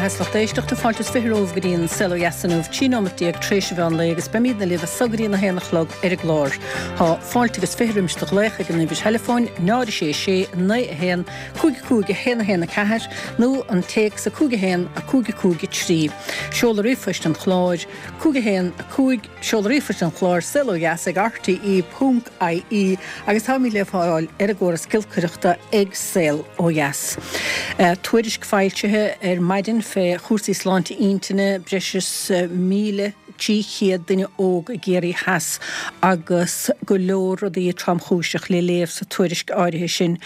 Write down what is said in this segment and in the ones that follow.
beatha is lucht éisteachta, fáilte is 20 romhaibh go dtí an Saol Ó Dheas inniu, 13 nóimeat tréis an mheán lae agus beimídne libh as so go dtí an 1 a chlog ar an gclár. Tá fáilte agus 20 roimis do ghlaoch ag an uimhir theileafóin 0 6 6 9 1 5 5 1 1 4 nó an téacs 5 1 5 5 3. Seoladh ríomhphoist an chláir, 5 1 5. Seoladh ríomhphoist an chláir, Saol Ó Dheas ag rte ponc ie agus táimid le fáil ar an gcóras giolcaireachta ag Saol Ó Dheas. Tuairisc foilsithe ar maidin fé chúrsaí sláinte intinne, breis is 1,300 duine óg i gCiarraí Theas agus go leor rudaí tromchúiseach le léamh sa tuairisc áirithe sin.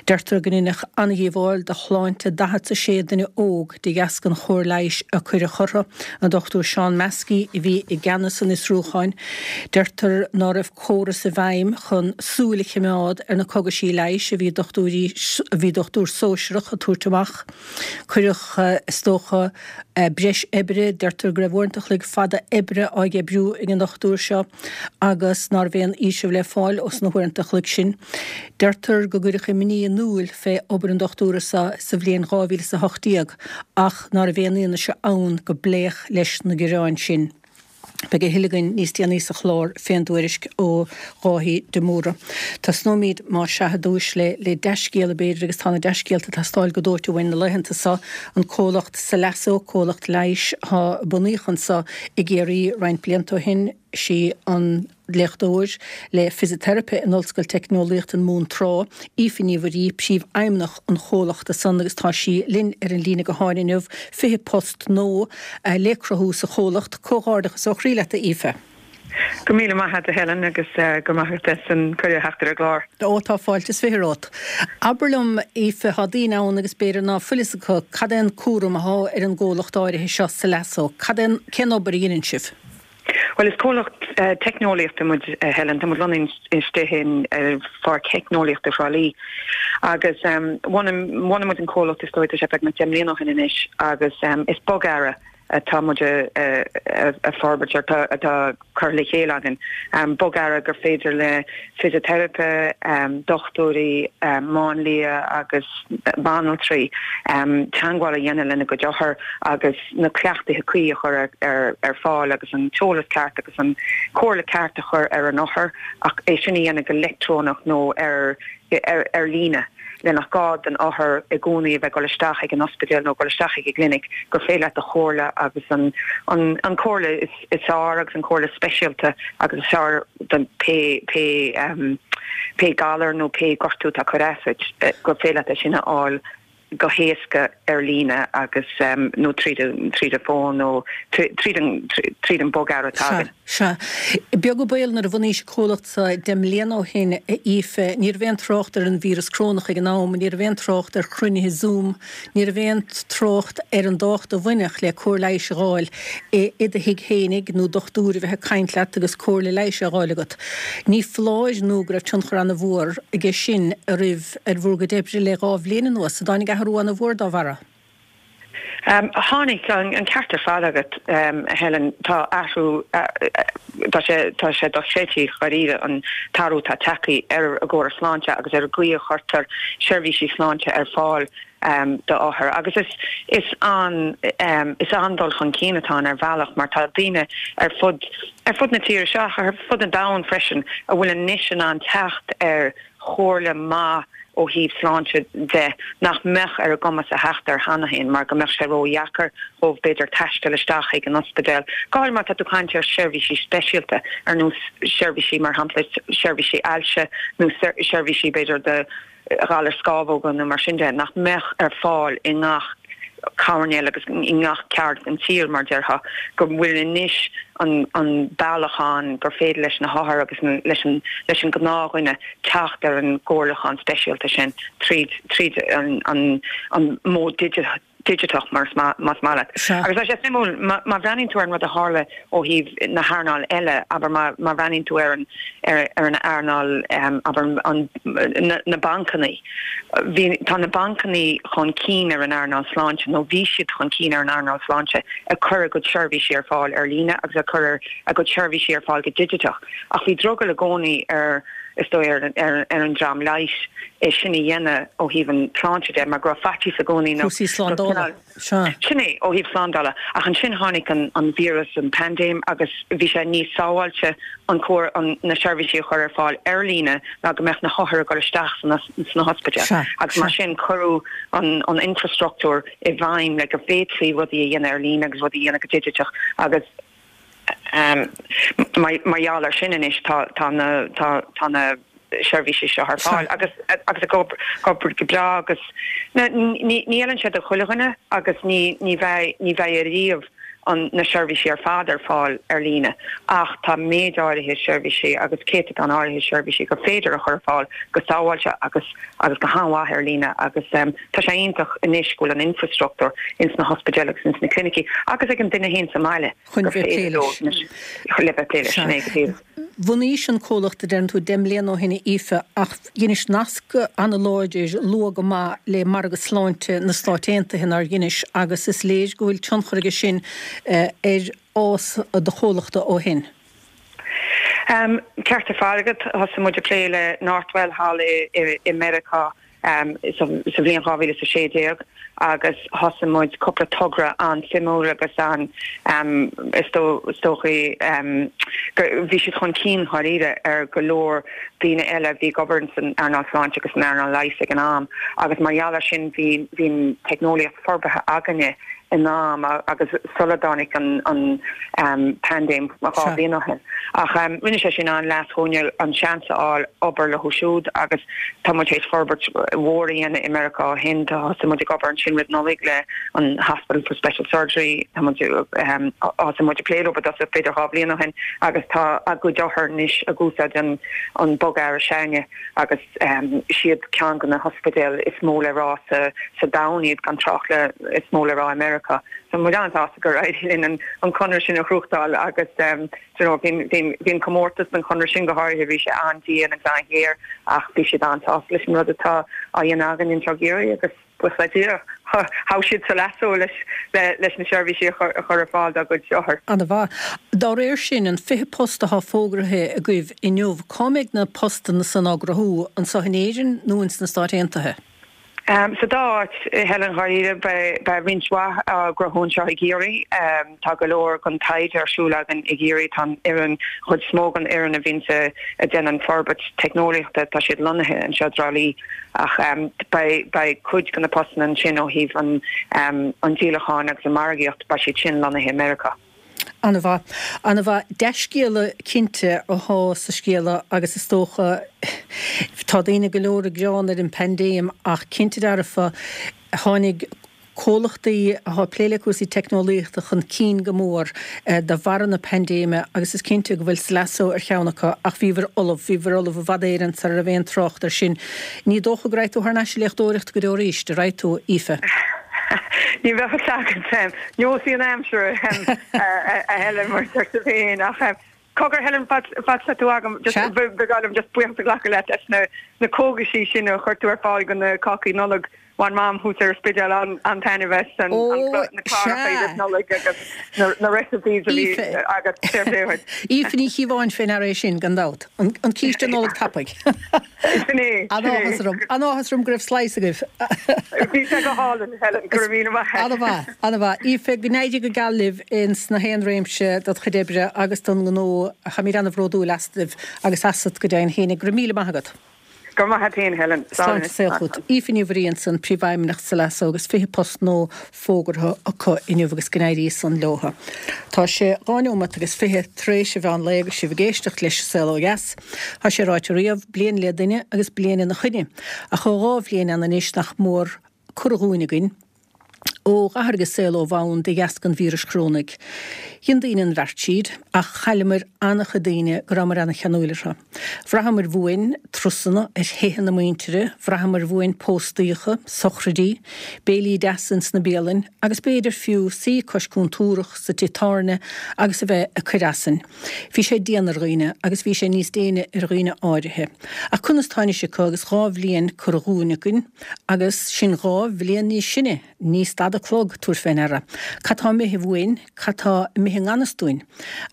Deirtear go ndeineadh an-dhíobháil do shláinte 46 duine óg de dheasca an chóir leighis a cuireadh orthu. An Dr Seán Maskey a bhí i gceannas an fhiosrúcháin. Deirtear ná raibh córas i bhfeidhm chun súil a chimeád ar na cogaisí leighis a bhí dochtúirí a bhí dochtúir sóisearach ag tabhairt amach. Cuireadh, is dócha, breis oibre, deirtear go raibh uaireanta a chloig fada oibre á oibriú ag an dochtúir seo agus ná raibh aon fhaoiseamh le fáil ós na huaireanta a chloig sin. Deirtear go gcuireadh imní in iúil fé obair an dochtúra seo sa bhliain 2018 ach ná raibh aon fhianaise ann go bpléadh leis na gearáin sin. Beidh a thuilleadh againn níos déanaí sa chlár fén dtuairisc ó Dháithí de Mórdha. Tosnóimid más sea ar dtúis le le dea-scéala b'fhéidir agus tá na dea-scéalta ag teastáil go dóite uainn na laethanta seo. An comhlacht Salasso, comhlacht leighis a bunaíodh anso i gCiarraí roinnt blianta ó shin, sí an léachtóir le fisiteiripe in Ollscoil Teicneolaíochta na Mumhan Trá, Aoife Ní Mhuirí, príomhfheidhmeannach an chomhlachta san agus tá sí linn ar an líne gutháin inniu, 20 post nua le cruthú sa chomhlacht. Comhghairdeachas ó chroí leat a Aoife. Go míle maith agat a Helen agus go raibh maith agat as an cuireadh a theacht ar an gclár. Ó tá fáilte is 20 romhat. Abair liom Aoife, tá daoine ann agus b'fhéidir ná fuil fhios acu cad é an cúram athá ar an gcomhlacht áirithe seo Salasso, cad é, cén obair a dheineann sibh? Bhuel, is comhlacht teicneolaíochta muid, a Helen. Tá muid lonnaithe istigh in Pháirc Theicneolaíochta Thrá Lí. Agus bhunaigh muid an comhlacht, is dóigh, tá sé beagnach 10 mbliana ó shin anois, agus is bogearra atá muid a forbairt, atá curtha le chéile againn. Bogearra gur féidir le fisiteiripe, dochtúirí, máinlia agus banaltraí teagmháil a dhéanamh lena gcuid othar agus na cleachtaithe cuí a chur ar fáil agus an t-eolas ceart agus an chomhairle ceart a chur ar an othar ach é sin a dhéanamh go leictreonach nó ar ar líne le nach gá don othar i gcónaí a bheith ag dul isteach ag an ospidéal nó ag dul isteach ag an gclinic gur féidir leat do chomhairle agus an an chomhairle is is fearr agus an chomhairle speisialta agus is fearr don pé pé pé galar nó pé gortú atá ag cur as duit gur féidir leat é sin a fháil go héasca ar líne agus nó tríd an tríd an bhfón nó tríd an tríd an bogearra atá againn. Sea. Beag an baol nuair a bhunaís an comhlacht seo 10 mbliana ó shin, a Aoife, ní raibh aon trácht ar an víreas corónach ag an am, ní raibh aon trácht ar chruinnithe Zoom, ní raibh aon trácht ar an dtábhacht a bhainfeadh le cóir leighis a dh'fháil i do thigh fhéinig nó dochtúir a bheith ag caint leat agus comhairle leighis á dh'fháil agat. Ní foláir nó go raibh tionchar ana-mhór aige sin oraibh. ar bhur gcuid oibre le 2 bhliain anuas. An dtáinig athrú ana-mhór dá bharra? Tháinig, an ceart ar fad agat, a Helen. Tá athrú, tá sé, tá sé dochreidte dháiríre an t-athrú atá tagtha ar an gcóras sláinte agus ar an gcaoi a chuirtear seirbhísí sláinte ar fáil d'othair. Agus is, is an, is an-dul chun cinn atá ann ar bhealach mar tá daoine ar fud, ar fud na tíre seo ach ar fud an domhain freisin a bhfuil anois in ann teacht ar chomhairle maith ó thaobh sláinte de nach mbeadh ar a gcumas a theacht air cheana féin mar go mbeadh sé ródheacair dhóibh b'fhéidir taisteal isteach chuig an ospidéal, go háirithe má tá tú ag caint ar sheirbhísí speisialta ar nós seirbhísí mar shampla seirbhísí ailse nó seirbhísí b'fhéidir do ghalair scamhóga nó mar sin de nach mbeadh ar fáil i ngach coirnéal agus i ngach ceard den tír, mar déarfá, go bhfuil anois an an bealach ann gur féidir leis na hothair agus leis an leis an gnáthdhuine teacht ar an gcomhairliúchán speisialta sin tríd tríd an an an modh digiteach mar más maith leat. Agus tá sé suimiúil, má bhreathnaíonn tú ar an rud a tharla ó thaobh na hearnáil eile, abair má má bhreathnaíonn tú ar an ar ar an earnáil abair an na na bancanna, Bhí, tá na bancanna chun cinn ar an earnáil sláinte, nó bhí siad chun cinn ar an earnáil sláinte, ag cur a gcuid seirbhísí ar fáil ar líne agus ag cur a gcuid seirbhísí ar fáil go digiteach. Ach bhí drogall i gcónaí ar. Is dóigh ar an dream leighis é sin a dhéanamh ó thaobh an tsláinte de mar go raibh faitíos i gcónaí nó Cúrsaí slándála, sea. Sin é, ó thaobh slándála. Ach ansin tháinig an víreas, an paindéim agus bhí sé níos sábháilte an cóir na seirbhísí a chur ar fáil ar líne ná go mbeadh na hothair ag dul isteach sna hospidéil. Agus mar sin cuireadh an infrastruchtúr i bhfeidhm le go bhféadfaí rudaí a dhéanamh ar líne agus rudaí a dhéanamh go digiteach agus Mar gheall air sin anois tá na tá na seirbhísí seo ar fáil agus agus ag obair go breá agus ní ní fheileann sé do chuile dhuine agus ní ní bheidh ní bheidh ariamh an na seirbhísí ar fad ar fáil ar líne ach tá méid áirithe seirbhísí agus céatadán áirithe seirbhísí gur féidir a chur ar fáil go sábháilte agus agus go han-mhaith ar líne agus tá sé iontach anois go bhfuil an infrastruchtúr ins na hospidéil agus ins na clinicí agus ag an duine féin sa mbaile. chun bheith ag plé leis. Le bheith ag plé leis, sin é go díreach. Bhunaís an comhlacht, a deireann tú, 10 mbliana ó shin, a Aoife, ach dheinis nasc an-láidir luath go maith le margadh sláinte na Stáit Aontaithe, nár dheinis, agus is léir go bhfuil tionchar aige sin ar fhás do chomhlachta ó shin. Ceart ar fad agat. Thosaigh muid ag plé le Northwell thall i Meiriceá sa bhliain 2016 agus thosaigh muid cúpla togra an-suimiúil agus an is dóichí go bhí siad chun cinn dháiríre ar go leor daoine eile a bhí ag obair san earnáil sláinte agus san earnáil leighis ag an am agus mar gheall air sin bhí bhí an teicneolaíocht forbartha againne in am agus sula dtáinig an paindéim 2 bhliain ó shin. Ach rinne sé sin an-leas dhúinne an seans a fháil obair leo siúd agus tá muid théis forbairt mhór a dhéanamh i Meiriceá ó shin. Tá thosaigh muid ag obair ansin roimh Nollaig le an Hospital for Special Surgery, tá muid thosaigh muid ag plé leo i dtosach b'fhéidir 2 bhliain ó shin agus tá a gcuid othar anois ag úsáid an bogearra s'againne agus Siad ceann de na hospidéil is mó le rá sa domhan iad, gan trácht le is mó le rá i Meiriceá. Tá muid an-sásta gur éirigh linn an conradh sin a ghnóthachtáil agus you know bhí an comórtas don chonradh sin go háirithe, bhí sé an-dian agus an-ghéar ach bhí siad an-sásta leis an rud atá á dhéanamh againn anseo i gCiarraí agus Buíochas le Dia, thogh siad Salasso leis na seirbhísí a chur ar fáil dá gcuid othar. Ana-mhaith. Dá réir sin, an 20 post athá fógraithe agaibh inniu, cá mbeidh na postanna san á gcruthú, anso in Éirinn nó ins na Stáit Aontaithe? Sa dá áit, a Helen, dháiríre. Beidh roinnt mhaith á gcruthú anseo i gCiarraí. Tá go leor den taighde ar siúl againn i gCiarraí. Tá an fhoireann, an chuid is mó den fhoireann a bhíonn a déanann forbairt teicneolaíochta, tá siad lonnaithe anseo i dTrá Lí. Ach beidh cuid de na postanna ansin ó thaobh an díolacháin agus an margaíocht, beidh siad sin lonnaithe i Meiriceá. An-mhaith. An-mhaith. Dea-scéala cinnte athá sa scéala agus is dócha, tá daoine go leor ag gearán ar an bpaindéim ach cinnte dearfa tháinig comhlachtaí athá ag plé le cúrsaí teicneolaíochta chun cinn go mór de bharra na paindéime agus is cinnte go bhfuil Salasso ar cheann acu ach bhíobhair ullamh, bhíobhair ullamh i bhfad Éireann sara raibh aon trácht air sin. Ní dócha go raghaidh tú thar n-ais ag léachtóireacht go deo arís, an raghaidh tú, Aoife? Ní bheadh a fhios agat. Neosfaidh an aimsir a Helen mar a deir tú féin ach cogar Helen fad is atá tú agam just ba bhreá liom just buíochas a ghlacadh leat as na cógaisí sin a chuir tú ar fáil go na cácaí Nollag. Bhain Mam thuas ar an Spidéal an-taitneamh as na cláracha roimh Nollaig agus na recipes a bhí agat. Fair play dhuit. Aoife Ní Chíobháin fé ndeara é sin, gan dabht. An císte Nollag tapaidh. Sin é. An-áthas orm. An-áthas orm go raibh slice agaibh. Bhí sé go hálainn, Helen. Go raibh míle maith agat. An-mhaith. An-mhaith. Aoife, go n-éirí go geal libh ins na haon réimse dod chuid oibre agus don ngnó. Táimid an-bhródúil astaibh agus asat go deimhin féinig. Go raibh míle maith agat. Go raibh maith agat féin, Helen. Slán Sláinte saol chugat. Aoife Ní Mhuirí ansan, Príomhfheidhmeannach Salasso agus 20 post nua fógartha acu inniu agus go n-éirí san leotha. Tá sé dhá neomat agus 20 tar éis an mheán lae agus sibh ag éisteacht leis An Saol Ó Dheas. Tá sé ráite riamh, bliain le duine agus bliain ina choinne. Ach ó dhá bhliain ann anois nach mór curtha dhúinn againn, ó dh'athraigh an saol ó bhonn de dheasca an víris chorónaigh. Dhein daoine an bheart tríd, ach chailleamair an-chuid daoine go rabhamair an-cheanúil orthu. Bhraitheamair uainn. Turasanna, ar thithe na muintire, bhraitheamar uainn póstaíocha, sochraidí, béilí deasa ins na bialainn, agus b'fhéidir fiú suí cois cúntúrach sa tigh tábhairne agus a bheith ag cur asainn. Bhí sé dian ar dhaoine, agus bhí sé níos déine ar dhaoine áirithe. Ach conas tá anois acu agus 2 bhliain curtha dhúinn againn, agus sinn 2 bhliain níos sine? Ní stad an clog, tabhair fé ndeara. Cad tá imithe uainn? Cad tá imithe i ngan fhios dúinn?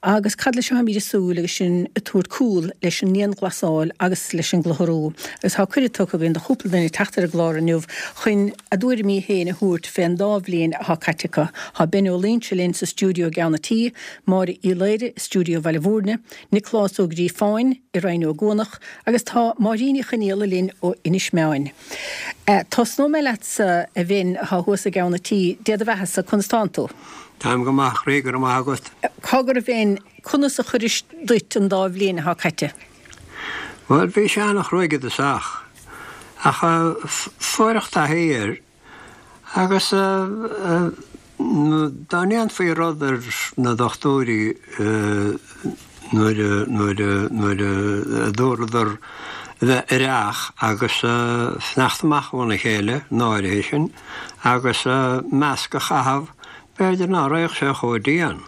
Agus cad leis atáimid ag súil agus sinn ag tabhairt cúl leis an ndianghlasáil agus leis an gclutharú? Agus tá cuireadh tugtha againn do chúpla duine teacht ar an gclár inniu chun a dtuairimí féin a thabhairt fén dá bhliain atá caite acu. Tá Ben Ó Loingsigh linn sa stiúideo i gCeann a' Tí, Máire Uí Laoire i stiúideo Bhaile Mhúirne, Nioclás Ó Gríofáin i Rinn Ó gCuanach agus tá Máirín Uí Chonaola linn ó Inis Meáin. Tosnóidh mé leatsa, a Bhinn, atá thuas i gCeann a' Tí. Dé do bheathasa, conas tánn tú? Táim go maith, a chroí, go raibh maith agat. Cogar, a Bhinn, conas a chuiris duit an dá bhliain atá caite? Bhuel, bhí sé an-chruaidh i dtosach, ach fuaireadh taithí air agus dá ndéanfaí rud ar na dochtúirí nuair a, nuair a, nuair a dúradar bheith ar each agus fanacht amach óna chéile, an áirithe sin, agus masc a chaitheamh, b'fhéidir ná raghadh sé chomh dian.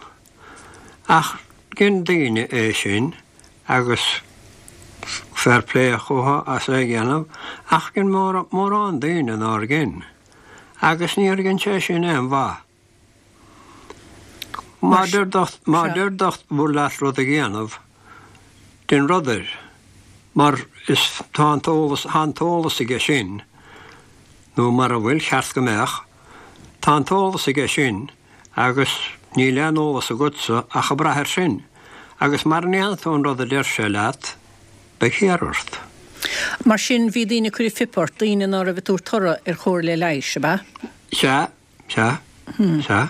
Ach dhein daoine é sin agus fair play chucu as é a dhéanamh, ach dhein mórán daoine nár dhein. Agus níor dhein sé sin aon mhaith. Má deir má deir dochtúir leat rud a dhéanamh, dein rud air, mar is tá an t-eolas, tá an t-eolas aige sin, nó mara bhfuil, cheart go mbeadh, tá an t-eolas aige sin agus níl aon eolas agatsa ach ag brath air sin, agus mara ndéanann tú an rud a deir sé leat, beidh thiar ort. Mar sin, bhí daoine ag cur an phip ort, daoine ná raibh ag tabhairt toradh ar chomhairle leighis, ab ea? Sea, sea, sea.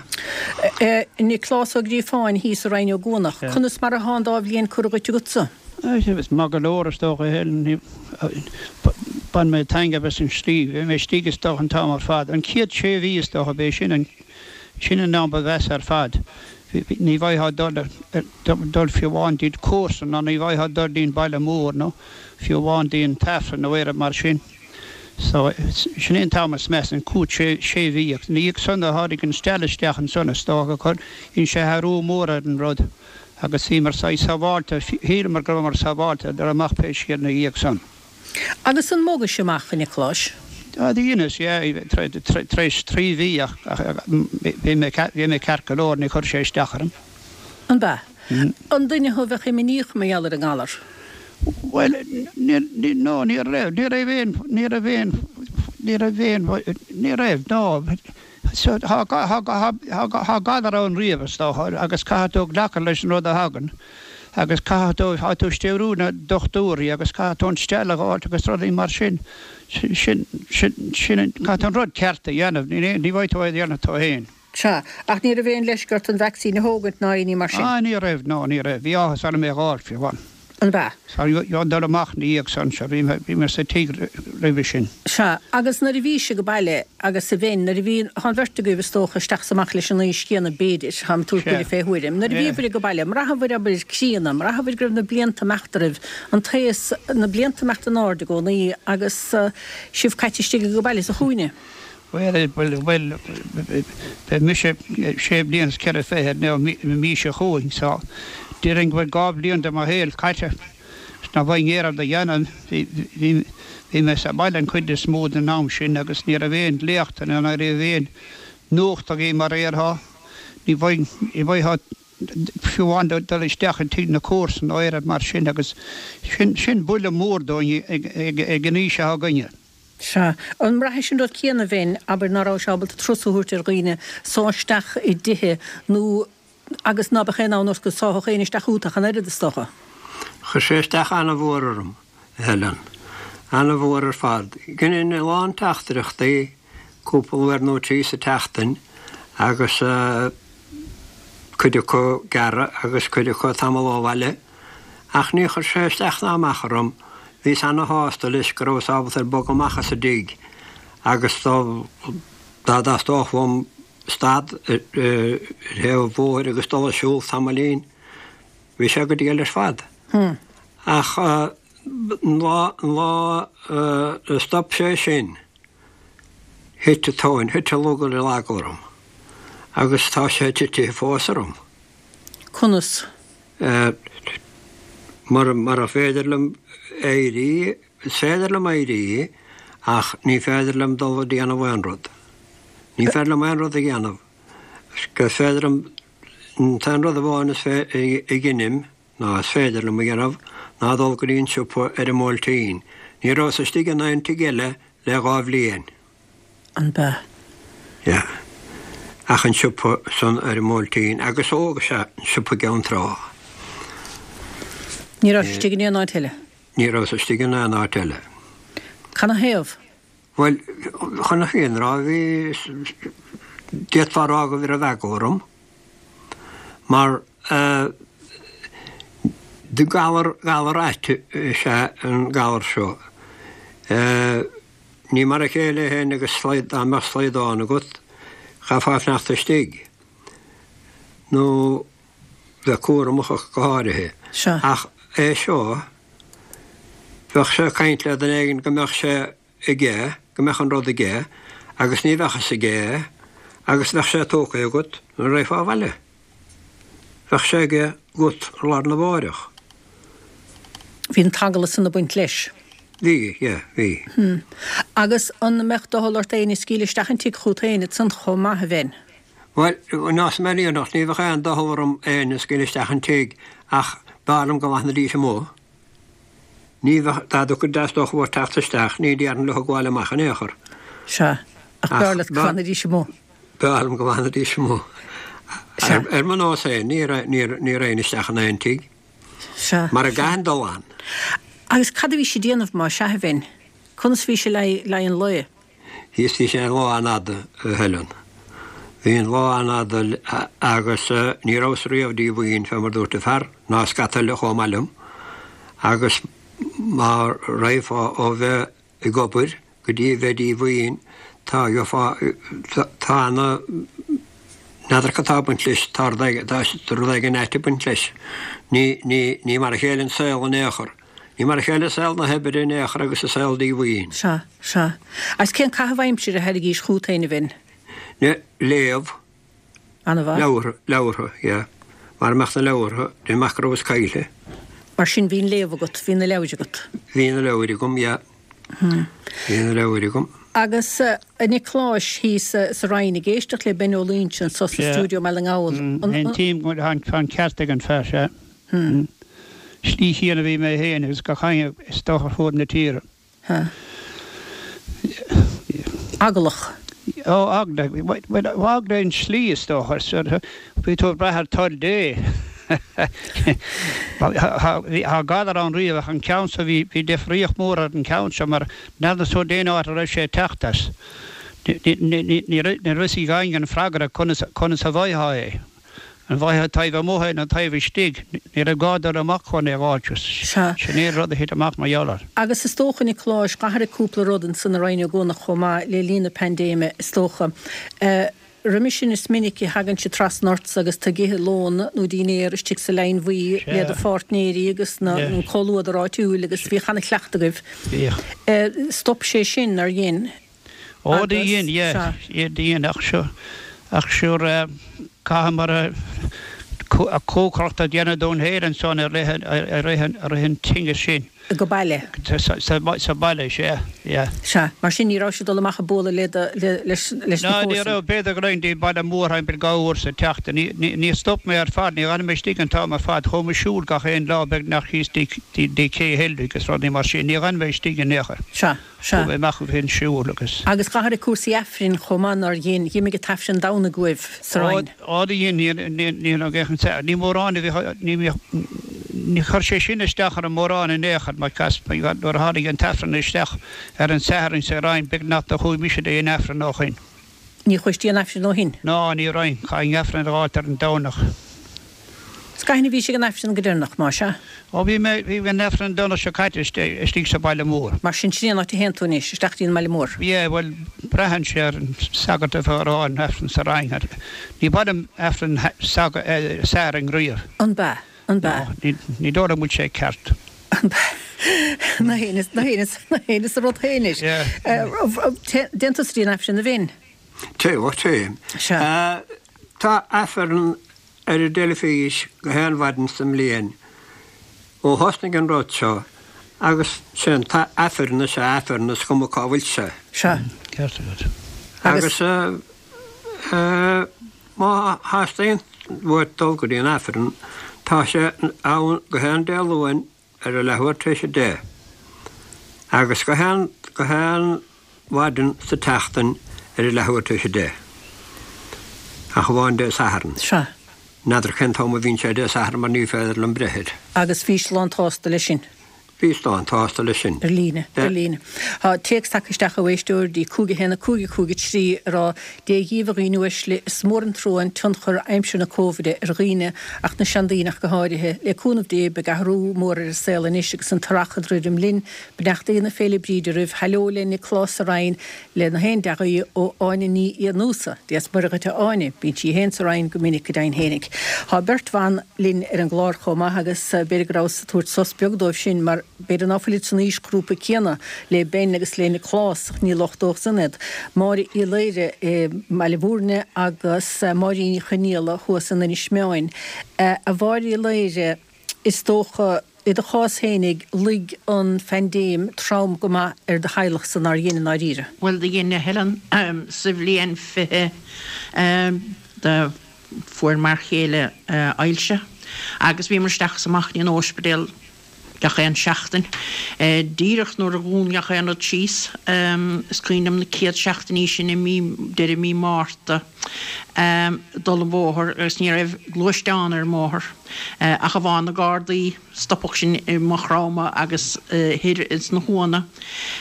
Nioclás Ó Gríofáin thíos i Rinn Ó gCuanach, conas mar atá an dá bhliain curtha dhuit agatsa? Is maith go leor, is dócha, a Helen. Bhain mé taitneamh as an slí. Bhí mé istigh, is dócha, an t-am ar fad. An chéad sé mhí, is dócha, b'é sin an, sin an am ba mheasa ar fad. Ní bhfaightheá dul, dul fiú amháin dtí comharsan ná ní bhfaightheá dul dtí'n baile mór nó fiú amháin dtí an t-Aifreann nó aon rud mar sin. So, sin é an t-am is measa, an chúig, sé, sé mhí. Agus ina dhiaidh san, tháinig an steall isteach ansan, is dócha, chuir, dhein sé athrú mór ar an rud. Agus bhíomar saghas sábháilte, shíleamar go rabhamar sábháilte, dul amach pé scéal ina dhiaidh san. Agus an mbogais amach, a Niocláis? Á, dheineas, yeah, tar éis trí mhí ach bhí mé, bhí mé ceart go leor, ní chuir sé isteach orm. An b'ea? An duine thú a bheadh imníoch mar gheall ar an ngalar? Bhuel, ní, no, ní raibh, ní raibh aon, ní raibh aon, ní raibh aon, ní raibh, no. So, tá, tá, tá galar ann riamh, is dócha, agus caithfidh tú glacadh leis an rud a thagann, agus caithfidh tú, tá tú ag stiúrú na dochtúirí agus caithfidh tú an steall a dh'fháilt agus rudaí mar sin, sin, sin, sin, caithfidh tú an rud ceart a dhéanamh, ní, ní bhfaighidh tú é a dhéanamh tú fhéin. Sea, ach ní raibh aon leisce ort an vacsaín a thógaint ná aon ní mar sin? Ah, ní raibh, no, ní raibh. Bhí áthas orm é a dh'fháilt, fiú amháin. An b'ea? Sea, dheamhan dul amach ina dhiaidh san, sea, bhí mé, bhí mé sa tigh roimhe sin. Sea, agus nuair a bhís ag baile, agus a Bhinn, nuair a bhí, tá an bheirt agaibh, is dócha, isteach is amach leis an aois chéanna, b'fhéidir, táim ag tabhairt buille fé thuairim, nuair a bhíobhair ag baile, an mbraitheabhair, abair, críonna, an mbraitheabhair go raibh na blianta ag imeacht oraibh, an t-aos, na blianta ag imeacht in airde i gcónaí agus sibh caite istigh ag baile sa chúinne? Bhuel, bhuel, bhuel, beidh mise sé bliana is ceithre fichid an mhí seo chugainn so déarfainn go bhfuil 2 bhliain de mo shaol caite is ná bhfaighinn aon rud a dhéanamh. Bhí, bhí, bhí mé sa bhaile an chuid is mó den am sin agus ní raibh aon léachtanna ná ní raibh aon nuacht againn mar a déarfá. Ní bhfaighinn, ní bhfaightheá fiú amháin dul isteach i dtigh na comharsan nó aon rud mar sin agus sin, sin buille mór dúinn ag, ag, ag an aois atá againne. Sea. An mbraithis an rud céanna, a Bhinn, abair, ná rabhais ábalta turas a thabhairt ar dhaoine, sá isteach i dtithe nó agus ná beadh aon fhonn ort go sáfadh éinne isteach chugat ach an oiread, is dócha? Chuir sé isteach ana-mhór orm, a Helen. Ana-mhór ar fad. Dheininn a lán teachtaireachtaí, cúpla uair nó trí sa tseachtain, agus cuid acu gearra agus cuid acu tamall ó bhaile. Ach ní chuir sé isteach ná amach orm, bhíos ana-shásta leis go rabhas ábalta ar bogadh amach as an dtigh agus dá dá dteastódh uaim stad ar thaobh an bhóthair agus dul ag siúl tamaillín, bhí sé go diail ar fad. Ach. An lá, an lá a stop sé sin, thit an tóin, thit an lug ar an eagla orm. Agus tá sé titithe fós orm. Conas? Mura, mura féidir liom éirí, is féidir liom éirí ach ní féidir liom dul a déanamh aon rud. Ní féidir liom aon rud a dhéanamh. Is féidir liom, an t-aon rud amháin is fé, a dheinim, ná is féidir liom a dhéanamh ná dul go dtí an siopa ar an mBuailtín. Ní rabhas istigh in aon tigh eile le dha bhliain. An b'ea? Yeah. Ach an siopa san ar an mBuailtín agus ó, sea, an siopa i gCeann Trá. Ní rabhais istigh in aon áit eile? Ní rabhas istigh in aon áit eile. Canathaobh? Bhuel, chun na fírinne a rá, bhí, d'fhéadfá a rá go raibh eagla orm. Mar galar, galar ait is ea an galar seo. Ní mar a chéile é féin agus dá mbeadh slaghdán agat, chaithfeá fanacht istigh. Nó bheith cúramach ach go háirithe. Ach é seo, bheadh sé ag caint le duine éigin go mbeadh sé aige, go mbeadh an rud aige, agus ní bheadh fhios aige é, agus bheadh sé tógtha agat nuair a raghfá abhaile. Bheadh sé aige agat ar lá arna mháireach. Bhí an t-eagla san ag baint leis. Bhí, yeah, bhí. Hm. Agus an mbeadh doicheall ort éinne a scaoileadh isteach an tigh chút féin ansan chomh maith, a Bhein? Bhuel, neosfaidh mé an fhírinne, ní bheadh aon doicheall orm éinne a scaoileadh isteach an tigh ach b'fhearr liom go bhfanfaidís amuigh. Ní bheadh, dá dteastódh uathu teacht isteach, ní déarfainn leo gabháil amach in aon chor. Sea, ach b'fhearr leat go bhfanfaidís amuigh. B'fhearr liom go bhfanfaidís amuigh. Sea. Ar mo nós féin, ní ní raghainn isteach in aon tigh. Sea. Mar a gcaithfinn dul ann. Agus cad a bhís ag déanamh má sea, a Bhein? Conas a bhís le haghaidh an lae? Bhíos, bhí sé an lá an-fhada, a Helen. Bhí an lá an-fhada agus ní rabhas riamh díomhaoin, fé mar dúirt an fear, ná scata eile chomh maith liom. Agus má raghfá ó bheith ag obair go dtí a bheith díomhaoin, tá, gheofá, tá ana, n'fheadar cad tá ag baint leis, tá rud éigin, tá rud éigin ait ag baint leis. Ní, ní, ní mar a chéile an saol in aon chor. Ní mar a chéile saol na hoibre in aon chor agus an saol díomhaoin. Sea, sea. Agus cén caitheamh aimsire a thairgís chút féin, a Bhinn? Léamh. An-mhaith. Leabhartha, leabhartha, yeah. Mara mbeadh na leabhartha, déan amach go rabhas caillte. Mar sin bhí an léamh agat, bhí na leabhair agat. Bhí na leabhair agam, yeah. Bhí na leabhair agam. Agus a Niocláis, thíos sa Rinn ag éisteacht le Ben Ó Loingsigh anso sa stiúideo i mBaile na nGall. Aontaím go bhfuil an ceart ag an fear, sea. Slí chéanna a bhí mé féin agus gach éinne is dócha ar fuaid na tíre. Eaglach. Ó, eagla. Bhuel, eagla an tslí is dócha. Bhí tú ag brath ar toil Dé. Tá galar ann riamh ach an ceann seo bhí deifríocht mhór ar an cheann seo mar n'fheadar tú cén áit a raibh sé ag teacht as. Ní raibh fhios ag éinne an freagra conas a bhfaightheá é. An bhfaightheá taobh amuigh é nó taobh istigh? Ní raibh gá dul amach chun é a dh'fháilt. Sea. Sin é an rud a thit amach mar gheall air. Agus is dócha, a Niocláis, d'athraigh cúpla rud ansan i Rinn Ó gCuanach chomh maith le linn na paindéime, is dócha. Roimhe sin is minic a thagainnse trasna ortsa agus tú ag ithe lón nó dinnéar istigh sa Leidhin Bhuí le do pháirtnéirí agus na, an comhluadar áitiúil agus bhíodh ana-chleachtadh agaibh. Bhíodh. Stop sé sin, nár dhein? Ó do dhein, yeah, yeah do dhein ach seo, ach sure chaitheamar cócaireacht a dhéanamh dúinn féin ansan i rith, i rith, i rith an tinnis sin. Go baile? Sa baile, sea, yeah. Sea, mar sin ní raibh sibh ag dul amach ag bualadh le do, le, leis, leis na Ná ní comharsana? raibh, b'fhéidir go raghainn dtí baile mór thimpeall dhá uair sa tseachtain. Ní, ní, ní stop mé ar fad, ní dh'fhan mé istigh an t-am ar fad, chuaigh mé ag siúl gach aon lá beagnach thíos dtí, dtí, dtí Cé Heilbhic agus rudaí mar sin, ní dh'fhan mé istigh in aon chor. Sea. Sea. Chuaigh mé amach ag an siúl agus. Agus d'athraigh cúrsaí Aifrinn chomh maith, nár dhein? Dh'imigh an tAifreann Domhnaigh uaibh sa Rinn. Ó do dhein, ní, ní, ní mórán a bhíodh, ní bhíodh, ní chuir sé sin isteach orm mórán in aon chor mar cas, nuair a tháinig an tAifreann isteach ar an Satharn sa Rinn beagnach do chuaigh mise dtí an Aifreann ó shoin. Ní chuais dtí an Aifreann ó shin? Ná, ní raghainn. Chaithfinn Aifreann a dh'fháilt ar an Domhnach. 'S cathain a bhís ag an Aifreann go deireanach, más ea? Ó bhí mé, bhí mé ag an Aifreann an Domhnach seo caite istigh sa bhaile mór. Mar sin, sin é an áit a théann tú anois, isteach dtí an mbaile mór? Yeah, bhuel, braitheann sé ar an sagart a bheadh ag rá an Aifreann sa Rinn. Ní mhaith liom Aifreann Sathairn riamh. An b'ea? An b'ea? No, ní dóigh liom go bhfuil sé ceart. An b'ea? Na héinne, na héinne, na héinne sa rud féin anois. Téann tusa dtí an Aifreann a Bhinn? Téim, ó téim. Sea. Tá Aifreann ar an dteilifís gach aon mhaidin sa mbliain ó thosnaigh an rud seo agus sé an t-Aifreann is ea Aifreann is cuma cá bhfuil sé. Sea. Ceart agat. Agus má theastaíonn uait dul go dtí an Aifreann tá sé ann gach aon Dé Luain ar a leathuair tar éis 10, agus gach aon, gach aon mhaidin sa tseachtain ar a leathuair tar éis 10, ach amháin Dé Sathairn. Sea. N'fheadar cén t-am a bhíonn sé Dé Sathairn mar ní féidir liom breith air. Agus bhís lán tsásta leis sin? Bhíos lán tsásta leis sin. Ar líne, ar líne. Tá téacs tagtha isteach ó éisteoir dtí 5 1 5 5 3 ag rá, Dia dhíbh a dhaoine uaisle, is mór an trua an tionchar aimsir na Cóibhide ar dhaoine ach na seandaoine ach go háirithe. Le cúnamh Dé beidh athrú mór ar an saol anois agus an t-earrach ag druidim linn. Beannachtaí na Féile Bríde oraibh. Heileo le Nioclás sa Rinn le na haon dea-ghuí ó Áine Ní Fhiannúsa. Dia 's Muire dhuit a Áine. Bíonn sí féin sa Rinn go minic go deimhin fhéinig. Tá beirt bhan linn ar an gclár chomh maith agus b'fhéidir go rabhas ag tabhairt sos beag dóibh sin mar b'fhéidir ná fuilid san aoisghrúpa céanna le Ben agus le Nioclás ach ní locht dóibh san iad. Máire Uí Laoire i mBaile Mhúirne agus Máirín Ní Chonaola thuas in Inis Meáin. A Mháire Uí Laoire, is dócha, i do chás fhéinig, luigh an phaindéim trom go maith ar do theaghlachsa, nár dhein i ndáiríre? Bhuel, do dhein, a Helen. Sa bhliain 20, do fuair m'fhear chéile ailse agus bhíomar isteach is amach in óispidéal gach aon seachtain. Díreach nuair a dhún gach aon rud síos, is cuimhin liom na céad seachtainí sin i mí, deireadh mí Márta, dul an bhóthar agus ní raibh gluaisteán ar an mbóthar ach amháin na Gardaí, stopadh sinn i Maigh Chromtha agus thoir ins na hUanna.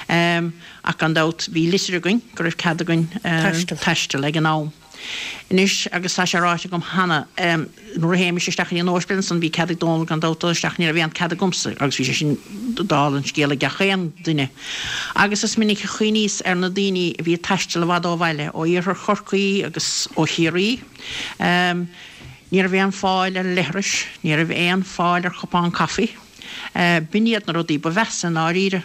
Ach gan dabht bhí litir againn go raibh cead againn taisteal ag an am. Anois, agus tá sé ráite agam cheana, nuair a théimis isteach in óispidéal ansan bhí cead ag Dónal gan dabht dul isteach, ní raibh aon cead agamsa agus bhí sé sin dála an scéil ag gach aon duine. Agus is minic a chuimhníos ar na daoine a bhí ag taisteal i bhfad ó bhaile, ó iarthar Chorcaí agus ó Chiarraí. Ní raibh aon fáil ar leithris, ní raibh aon fáil ar chupán caife. B'in iad na rudaí ba mheasa i ndáiríre,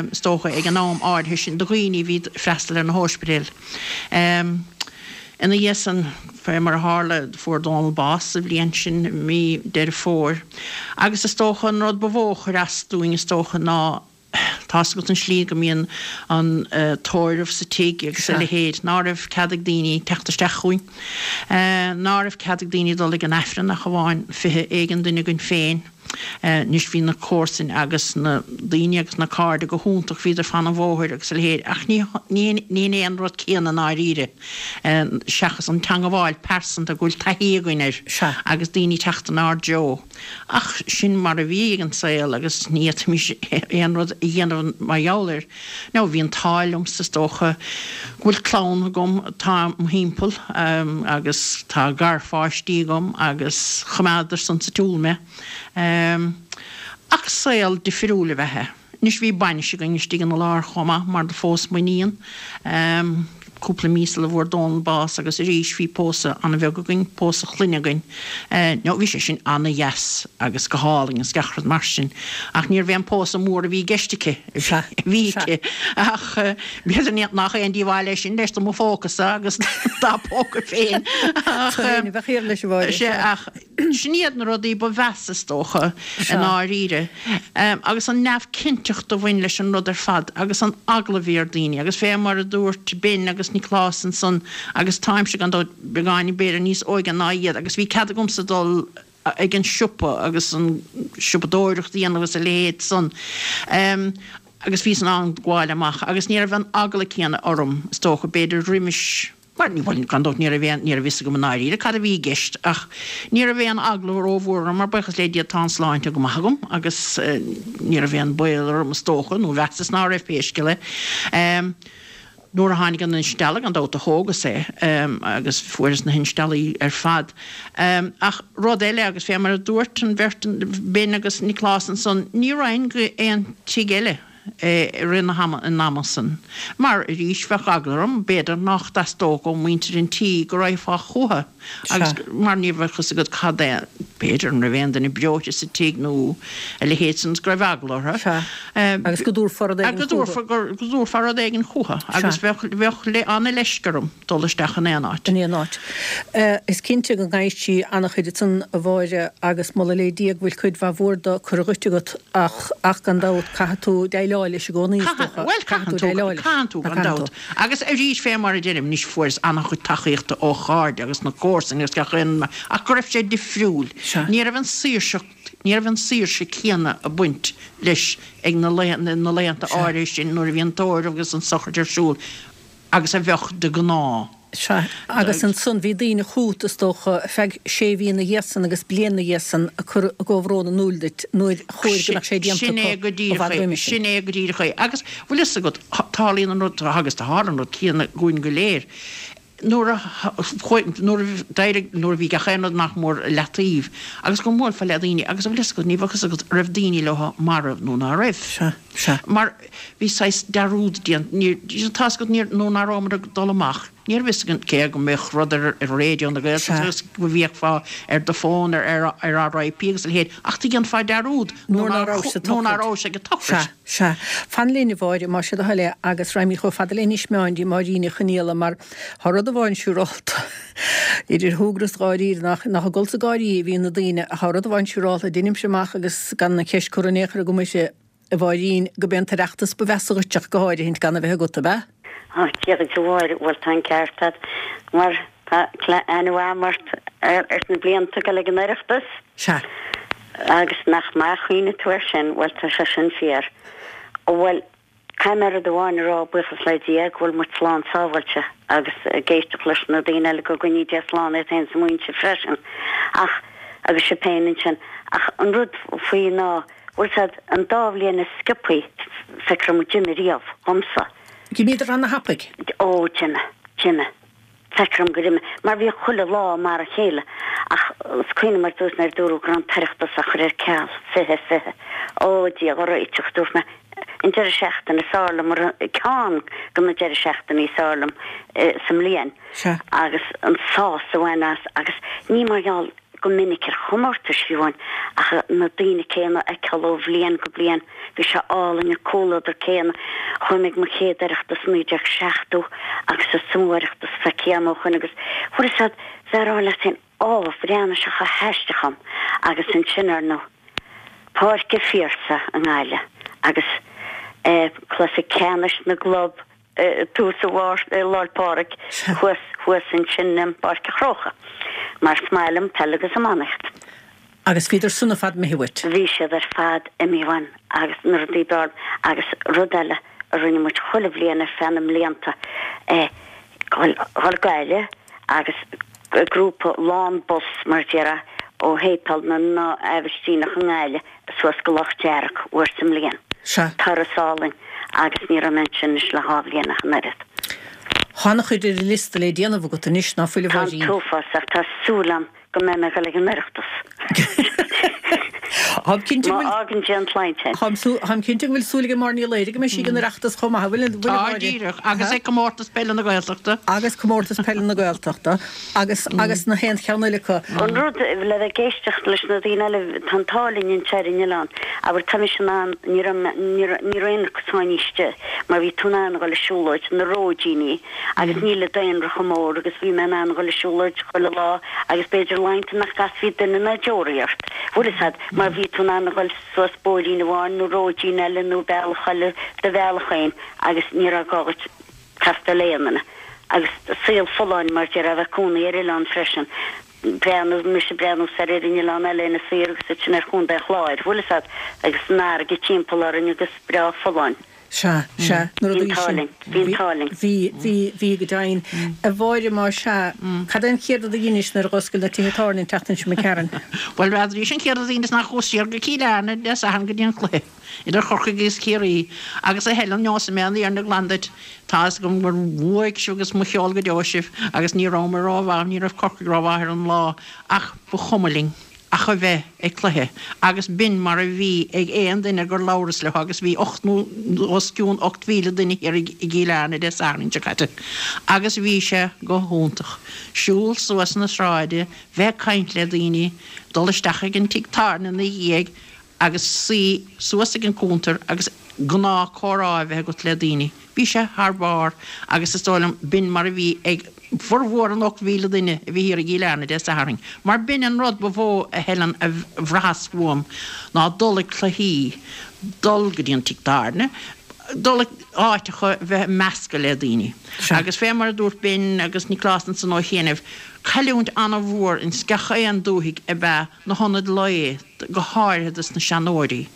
is dócha, ag an am áirithe sin do dhaoine a bhí ag freastal ar na hóispidéil. Ina dhiaidh san, fé mar a tharla, fuair Dónal bás sa bhliain sin, i mí Deireadh Fómhair, agus is dócha an rud ba mhó a chuir as dúinn, is dócha, ná Tá's agat an slí go mbíonn an tórramh sa tigh agus a leithéid, ná raibh cead ag daoine teacht isteach chugainn, ná raibh cead ag daoine dul ag an Aifreann ach amháin 20 éigin duine againn féin. Anois bhí na comharsain agus na daoine agus na cairde go hiontach, bhíodar fan an bhóthair agus a leithéid ach ní ní hin é an rud céanna i ndáiríre seachas an teangabháil pearsanta go bhfuil taithí againn air agus daoine teacht inár dtreo. Ach sin mar a bhí ag an saol agus ní fhéadfaimis aon rud a dhéanamh mar gheall air. Now bhí an t-ádh liomsa is dócha go bhfuil clann agam atá im thimpeall agus tá garpháistí agam agus choimeádadar san sa tsiúl mé. Ach saol difriúil ab ea é. Anois bhí bainis againn istigh ina lár chomh maith mar do phós m'iníon cúpla mí sula bhfuair Dónal bás agus arís bhí pósadh an-bheag againn, pósadh clainne againn. Now bhí sé sin an-dheas agus go hálainn agus gach rud mar sin ach níorbh é an pósadh mór a bhí i gceist aici, a bhí aici ach b'fhéidir nach aon díobháil é sin leis do mo phóca-sa agus dá póca féin ach sea ach Sin iad na rudaí ba mheasa, is dócha, i ndáiríre. Agus an neamhchinnteacht a bhain leis an rud ar fad agus an eagla a bhí ar daoine. Agus fé mar a dúirt Ben agus Nioclás ansan, agus táimse gan dabht beagáinín b'fhéidir níos óige ná iad, agus bhí cead agamsa dul ag an siopa agus an siopadóireacht a dhéanamh agus a leithéid san. Agus bhíos in ann gabháil amach agus ní raibh an eagla céanna orm, is dócha, b'fhéidir roimis. Bhuel, ní, bhuel, gan dabht ní raibh aon, ní raibh fhios agam i ndáiríre cad a bhí i gceist ach ní raibh aon eagla rómhór orm mar buíochas le Dia tá an sláinte go maith agam agus ní raibh aon baol orm is dócha, nó mheasas ná raibh pé scéal é. Nuair a tháinig an instealladh gan dabht do thógas é agus fuaireas na hinsteallaí ar fad. Ach rud eile agus fé mar a dúirt an bheirt, Ben agus Nioclás ansan, ní raghainn go aon tigh eile. i rith na hama, an ama san. Mar, arís, bheadh eagla orm, b'fhéidir, nách dteastódh ó mhuintir an tí go raghfá chútha agus mar ní bheadh fhios agat cad é, b'fhéidir, an raibh aon duine breoite sa tigh nó a leithéid san agus go raibh eagla orthu. Sea. Agus go dtabharfá rud éigin chúthu. Go dtabharfá rud éigin chúthu agus bheadh, bheadh ana-leisce orm. dul isteach in aon áit. In aon áit. Is cinnte go gcaithfidh sí an-chuid ansan, a Mháire, agus moladh le Dia go bhfuil cuid mhaith mhór de curtha dhuit agat ach, ach gan dabht, caithfidh tú déileáil leis i gcónaí, is dócha. Bhuel, caithfidh tú déileáil leis. Caitheann tú, gan dabht. Agus arís, fé mar a deirim, anois fuaireas an-chuid tacaíochta ó chairde agus na comharsana agus gach aon, ach go raibh sé difriúil. Ní raibh an saoirseacht, ní raibh an saoirse céanna ag baint leis ag na na laethanta áirithe sin nuair a bhí an tórramh agus an sochraid ar siúl. agus a bheadh de ghnáth. Sea, agus ansan bhí daoine chút, is dócha, ar feadh sé mhí ina dhiaidh san agus bliain ina dhiaidh san ag cur a gcomhbhrón in iúl duit nuair chóir go mbeadh sé déanta Sin é acu go i díreach bhfad é, roimis sin. sin é go díreach é. Agus bhfuil fhios agat, tarlaíonn an rud, agus do tharla an rud céanna dhúinn go léir, nuair a chuaigh, nuair a d'éirigh, nuair a bhí gach aon rud nach mór i leataobh agus go mbuailfeá le daoine agus bhfuil fhios agat, ní bheadh fhios agat raibh daoine leo marbh nó ná raibh. Sea, sea. Mar bhí saghas dearúd déanta, ní, tá's agat, níor, nuair ná rabhamar ag dul amach, ní raibh fhios againn cé go mbeadh rud ar ar Raidió na Gaeltachta agus go bhféachfá ar do fón ar ar RIP agus a leithéid, ach do dhéanfá dearúd nuair ná raibh sa nuair ná rabhais ag an tsochraid. Sea, sea. Fan linn, a Mháire, más é do thoil é, agus raghaimid chomh fada le Inis Meáin dtí Máirín Ní Chonaola mar tá rud amháin siúrálta, idir shúgradh is dháiríre, nach, nach ag gol 's ag gáirí a bhíonn na daoine, ach tá rud amháin siúrálta, deinimse amach agus gan an cheist curtha in aon chor agam uirthi, a Mháirín, gurb é an tOireachtas ba mheasa dhuit ach go háirithint gan a bheith agat, ab ea? Ó, Dia duit a Mháire, bhuel tá an ceart agat, mar tá aithne mhaith agam ort ar na blianta ag dul ag an Oireachtas. Sea. Agus nach maith a chuimhnigh tú air sin, bhuel tá sé sin fíor. Bhuel, caithfidh mé rud amháin a rá, buíochas le Dia go bhfuil muid slán sábháilte agus ag éisteacht leis na daoine eile go gcoinní Dia slán iad féin is a muintir freisin. Ach, agus sibh féin ansin. Ach an rud faoi ná, Bhfuil 's a'd, an dá bhliain is sciobthaí, feictear dom a d'imigh riamh, dhomsa. D'imíodar ana-thapaidh. Ó, d'imigh, d'imigh. Feictear dom gur imigh, mar bhíodh chuile lá mar a chéile. Ach is cuimhin liom ar dtús nuair a dúradh go raibh an tOireachtas á chur ar ceal, 20, 20. Ó, Dia ár réiteach, dúirt mé, an deireadh seachtaine is fearr liom, ceann de na deireadh seachtainí is fearr liom sa mbliain. Sea. Agus an sás a bhain as, agus ní mar gheall, go minic ar chomórtais fiú amháin, ach na daoine céanna a fheiceáil ó bhliain go bliain. Bhí sé álainn, an comhluadar céanna. Chuaigh mé ag mo chéad Oireachtas i 1970 agus is iomaí Oireachtas feicthe agam ó shoin agus bhfuil fhios a'd, bheith a rá leat féin, Ó, bhreathnaigh sé chomh haisteach dhom agus ansin, ar ndóigh, Páirc an Phiarsaigh i nGaillimh agus eh cluiche ceannais na gclub tús an Mhárta i Lá 'le Pádraig thuas thuas ansin i bPáirc an Chrócaigh mar is maith liom peil agus iománaíocht. Agus bhíodar san ar fad imithe uait? Bhí siad ar fad imithe uaim agus na rudaí b'fhearr agus rud eile a rinne muid chuile bhliain ar feadh na mblianta eh dhul go Gaillimh agus grúpa lán bus mar a déarfá ó shéipéal na nAibhistíneach i nGaillimh suas go Loch Dearg uair sa mbliain. Sea. Turas álainn agus ní raibh mé ansin anois le dhá bhliain ach an oiread. Tá an-chuid ar an liosta le déanamh agat anois, ná fuil a Tá an Mháirín? t-uafás ach tá súil agam go mbeidh mé ag dul ag an Oireachtas. Táim cinnte go Má bhfuil. fhágann Dia an tsláinte. Táim táim cinnte go bhfuil súil ag Máire Ní Laoire go mbeidh sí ag an Oireachtas chomh maith, an bhfuil, an bhfuil a Tá, Mháire? díreach. Agus ag Comórtas Peile na Gaeltachta. Agus Comórtas Peile na Gaeltachta. Agus, agus na haon cheann eile acu. An rud, le bheith ag éisteacht leis na daoine eile, tá an t-ádh linn anseo ar an oileán, abair, tá mise in ann, ní raibh mé, ní raibh, ní raibh aon chosáin istigh mar bhí tú in ann a dhul ag siúlóid, na róidíní, agus níl an daonra chomh mór agus bhí mé in ann a dhul ag siúlóid chuile lá agus b'fhéidir laethanta nach gcasfaí duine ná deoraí ort, bhfuil fhios a'd, mar bhí tú in ann a dhul suas bóithrín amháin nó róidín eile nó bealach eile do bhealach féin agus ní raibh gá dhuit castáil le aon duine. Agus saol folláin mar déarfá a bheith cónaí ar oileán freisin. Breathnú, mise ag breathnú soir ar an oileán eile Inis Oírr agus ansin ar Chontae an Chláir, bhfuil fhios a'd, agus an fharraige timpeall orainn agus breá folláin. Sea, sea, na Bhí an rudaí t-ádh sin. linn, bhí an t-ádh linn. Bhí, bhí, bhí go deimhin. A Mháire, má sea, cad é an chéad rud a dheinis nuair a dh'oscail na tithe tábhairne an tseachtain seo imigh tharainn? Bhuel, b'fheadraís an chéad rud a dheineas ná chuas siar go Cill Airne Dé Sathairn go dtí an cluiche. idir Chorcaigh agus Ciarraí, agus a Helen, neosfaidh mé an fhírinne glan duit, tá fhios agam gur bhuaigh sibh agus mo cheol go deo sibh, agus ní rabhamar rómhaith, ní raibh Corcaigh rómhaith ar an lá, ach ba chuma linn. Ach a bheith ag cluiche. Agus b'in mar a bhí ag aon duine gur labhras leo agus bhí ocht nó os cionn 8,000 duine thiar i gCill Airne Dé Sathairn seo caite. Agus bhí sé go hiontach. Siúl suas na sráide, bheith ag caint le daoine, dul isteach ag an tigh tábhairne ina dhiaidh agus suí suas ag an cuntar agus gnáth comhrá a bheith agat le daoine. Bhí sé thar barr agus is dóigh liom b'in mar a bhí ag formhór an 8,000 duine a bhí thiar i gCill Airne Dé Sathairn. Mar b'in an rud ba mhó a Helen a bhraitheas uaim ná dul ag cluichí, dul go dtí an tigh tábhairne, dul ag áiteacha, bheith ag meascadh le daoine. Agus fé mar a dúirt Ben agus Nioclás ansan ó chianaibh, cailliúint an-mhór ins gach aon dúthaigh ab ea na hionaid lae, go háirithe dos na seanóirí,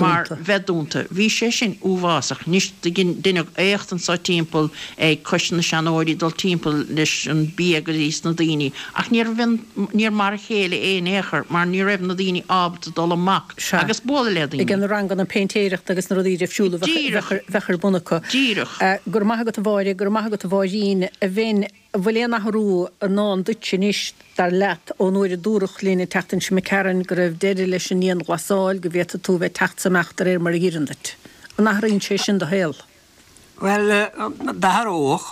mar bheith dúnta. Bhí sé sin uafásach. Anois deineadh éacht anso timpeall ag Coiste na Seanóirí dul timpeall leis an bia go dtí sna daoine ach níor níor mar a chéile é in aon chor mar ní raibh na daoine ábalta dul amach agus bualadh le daoine. Ag na ranganna péintéireachta agus na rudaí difriúla a bheadh ar bun acu. Díreach. Go raibh maith agat a Mháire, go raibh maith agat a Mháirín. A Bhen. An bhfuil aon athrú i ndán duit anois, dar leat, ón uair a dúradh linn an tseachtain seo imigh tharainn go raibh deireadh leis an ndianghlasáil, go bhféadfaidh tú bheith ag teacht 's imeacht de réir mar a dh'oireann duit? An athraíonn sé sin do shaol? Bhuel, d'athródh,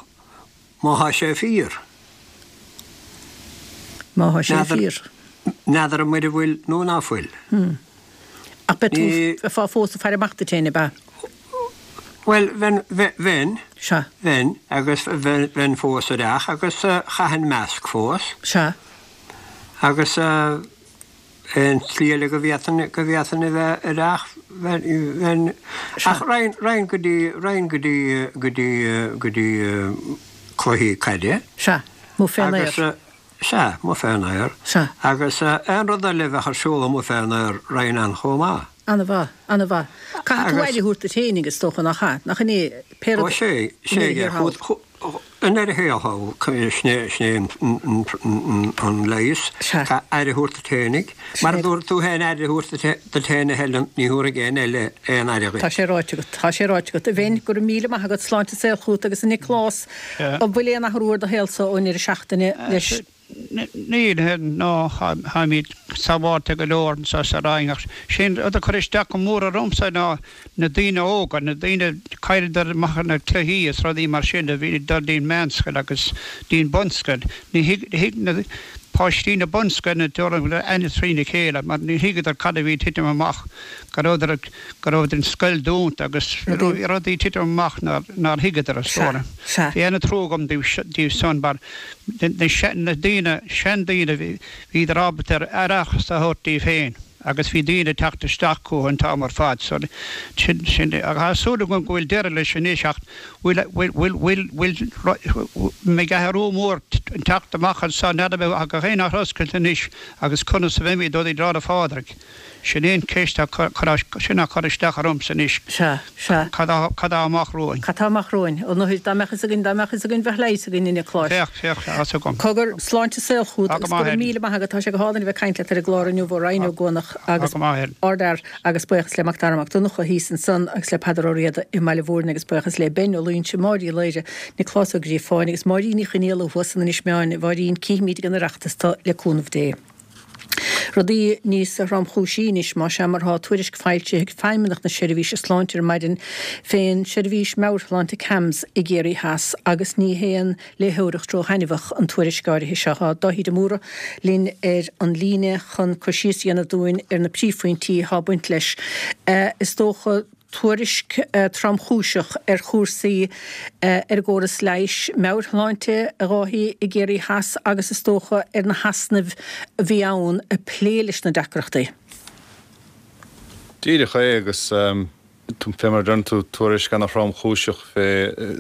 má thá sé fíor. Má thá sé fíor. N'fheadar mura bhfuil nó ná fuil. Ach beidh tú, bheifeá fós ag faire amach duit féin, ab ea? Bhuel, bheinn, bheinn, Sea. bheinn, agus bheinn fós ar each agus chaithfinn masc fós. Sea. Agus aon tslí eile go bhféadfainn, go bhféadfainn a bheith ar each, bheinn, bheinn, Sea. ach raghainn, raghainn go dtí, raghainn go dtí, go dtí, go dtí cluichí caide. Sea, amuigh fén aer. Agus, sea, amuigh fén aer. Sea. Agus aon rud eile a bheadh ar siúl amuigh fén aer, raghainn ann chomh maith. Ana-mhaith, ana-mhaith. Caithfidh tú aire a thabhairt duit féinig, is dócha, nach ea? Nach in é pé rud Ó, sé, sé, i ndeireadh thiar thall. I ndeireadh thiar thall, sin é, sin é an leigheas. Sea. Caithfidh aire a thabhairt duit féinig. Mar a dúirt tú féin aire a thabhairt duit féin, a Helen, ní thabharfaidh éinne eile aon aire dhuit. Tá sé ráite agat, tá sé ráite agat. A Bhen, go raibh míle maith agat, sláinte is saol chugat agus a Nioclás, an bhfuil aon athrú ar do shaolsa ón ndeireadh seachtaine leis? Níl, no, táimid sábháilte go leor anseo sa Rinn ach sé an rud a chuir isteach go mór ormsa ná na daoine óga, na daoine, chailleadar amach ar na cluichí is rudaí mar sin, a bhí ag dul dtí'n meánscoil agus dtí'n bunscoil. Ní thuig, thuig na páistí na bunscoile dóigh liom aithne trína chéile mar ní thuigeadar cad a bhí ag titim amach, go rabhadar ag, go raibh an scoil dúnta agus rudaí ag titim amach nár, nár thuigeadar is dóigh liom. Bhí ana-trua agam díobh san mar na daoine, seandaoine, bhíodar ábalta aireachas a thabhairt díobh féin agus bhí daoine ag teacht isteach chucu an t-am ar fad. So, sin, sin, tá súil agam go bhfuil deireadh leis anois ach bhfuil, bhfuil, bhfuil, bhfuil, bhfuil, mbeidh athrú mór ag teacht amach anseo, n'fheadar an mbeidh gach aon áit oscailte anois agus conas a bheimid ó dtí Lá 'le Phádraig. Sin é an cheist a sin a chuir isteach ormsa anois. Sea, sea. Cad tá amach romhainn? Cad tá amach romhainn? Ó no, dá mbeadh fhios againn, dá mbeadh fhios againn, bheadh leigheas againn, a Niocláis. Bheadh, bheadh, tá fhios agam. Cogar, sláinte is saol chugat Tá go agus go maith, raibh Helen. míle maith agat. Tá sé go hálainn a bheith ag caint leat ar an gclár inniu ó Rinn Ó gCuanach Tá agus go maith, Helen. ardfhear agus buíochas le Mac Dara Mac Donncha thíos ansan agus le Peadar Ó Riada i mBaile Mhúirne agus buíochas le Ben Ó Loingsigh, Máire Uí Laoire, Nioclás Ó Gríofáin agus Máirín Ní Chonaola thuas san Inis Meáin. A Mháirín, cífimid ag an Oireachtas tu le cúnamh Dé. Rudaí níos thromchúisí anois, más ea, mar tá tuairisc foilsithe ag Feidhmeannacht na Seirbhíse Sláinte ar maidin fén seirbhís meabhairshláinte CAMHS i gCiarraí Theas agus ní haon léitheoireacht róthaitneamhach an tuairisc áirithe seo. Tá Dáithí de Mórdha linn ar an líne chun cur síos a dhéanamh dúinn ar na príomhphointí atá ag baint leis. Is dócha. tuairisc tromchúiseach ar chúrsaí ar an gcóras leighis, meabhairshláinte, a Dháithí, i gCiarraí Theas agus is dócha ar na heasnaimh a bhí ann ag plé leis na deacrachtaí. Díreach é agus fé mar a deireann tú, tuairisc ana-thromchúiseach fé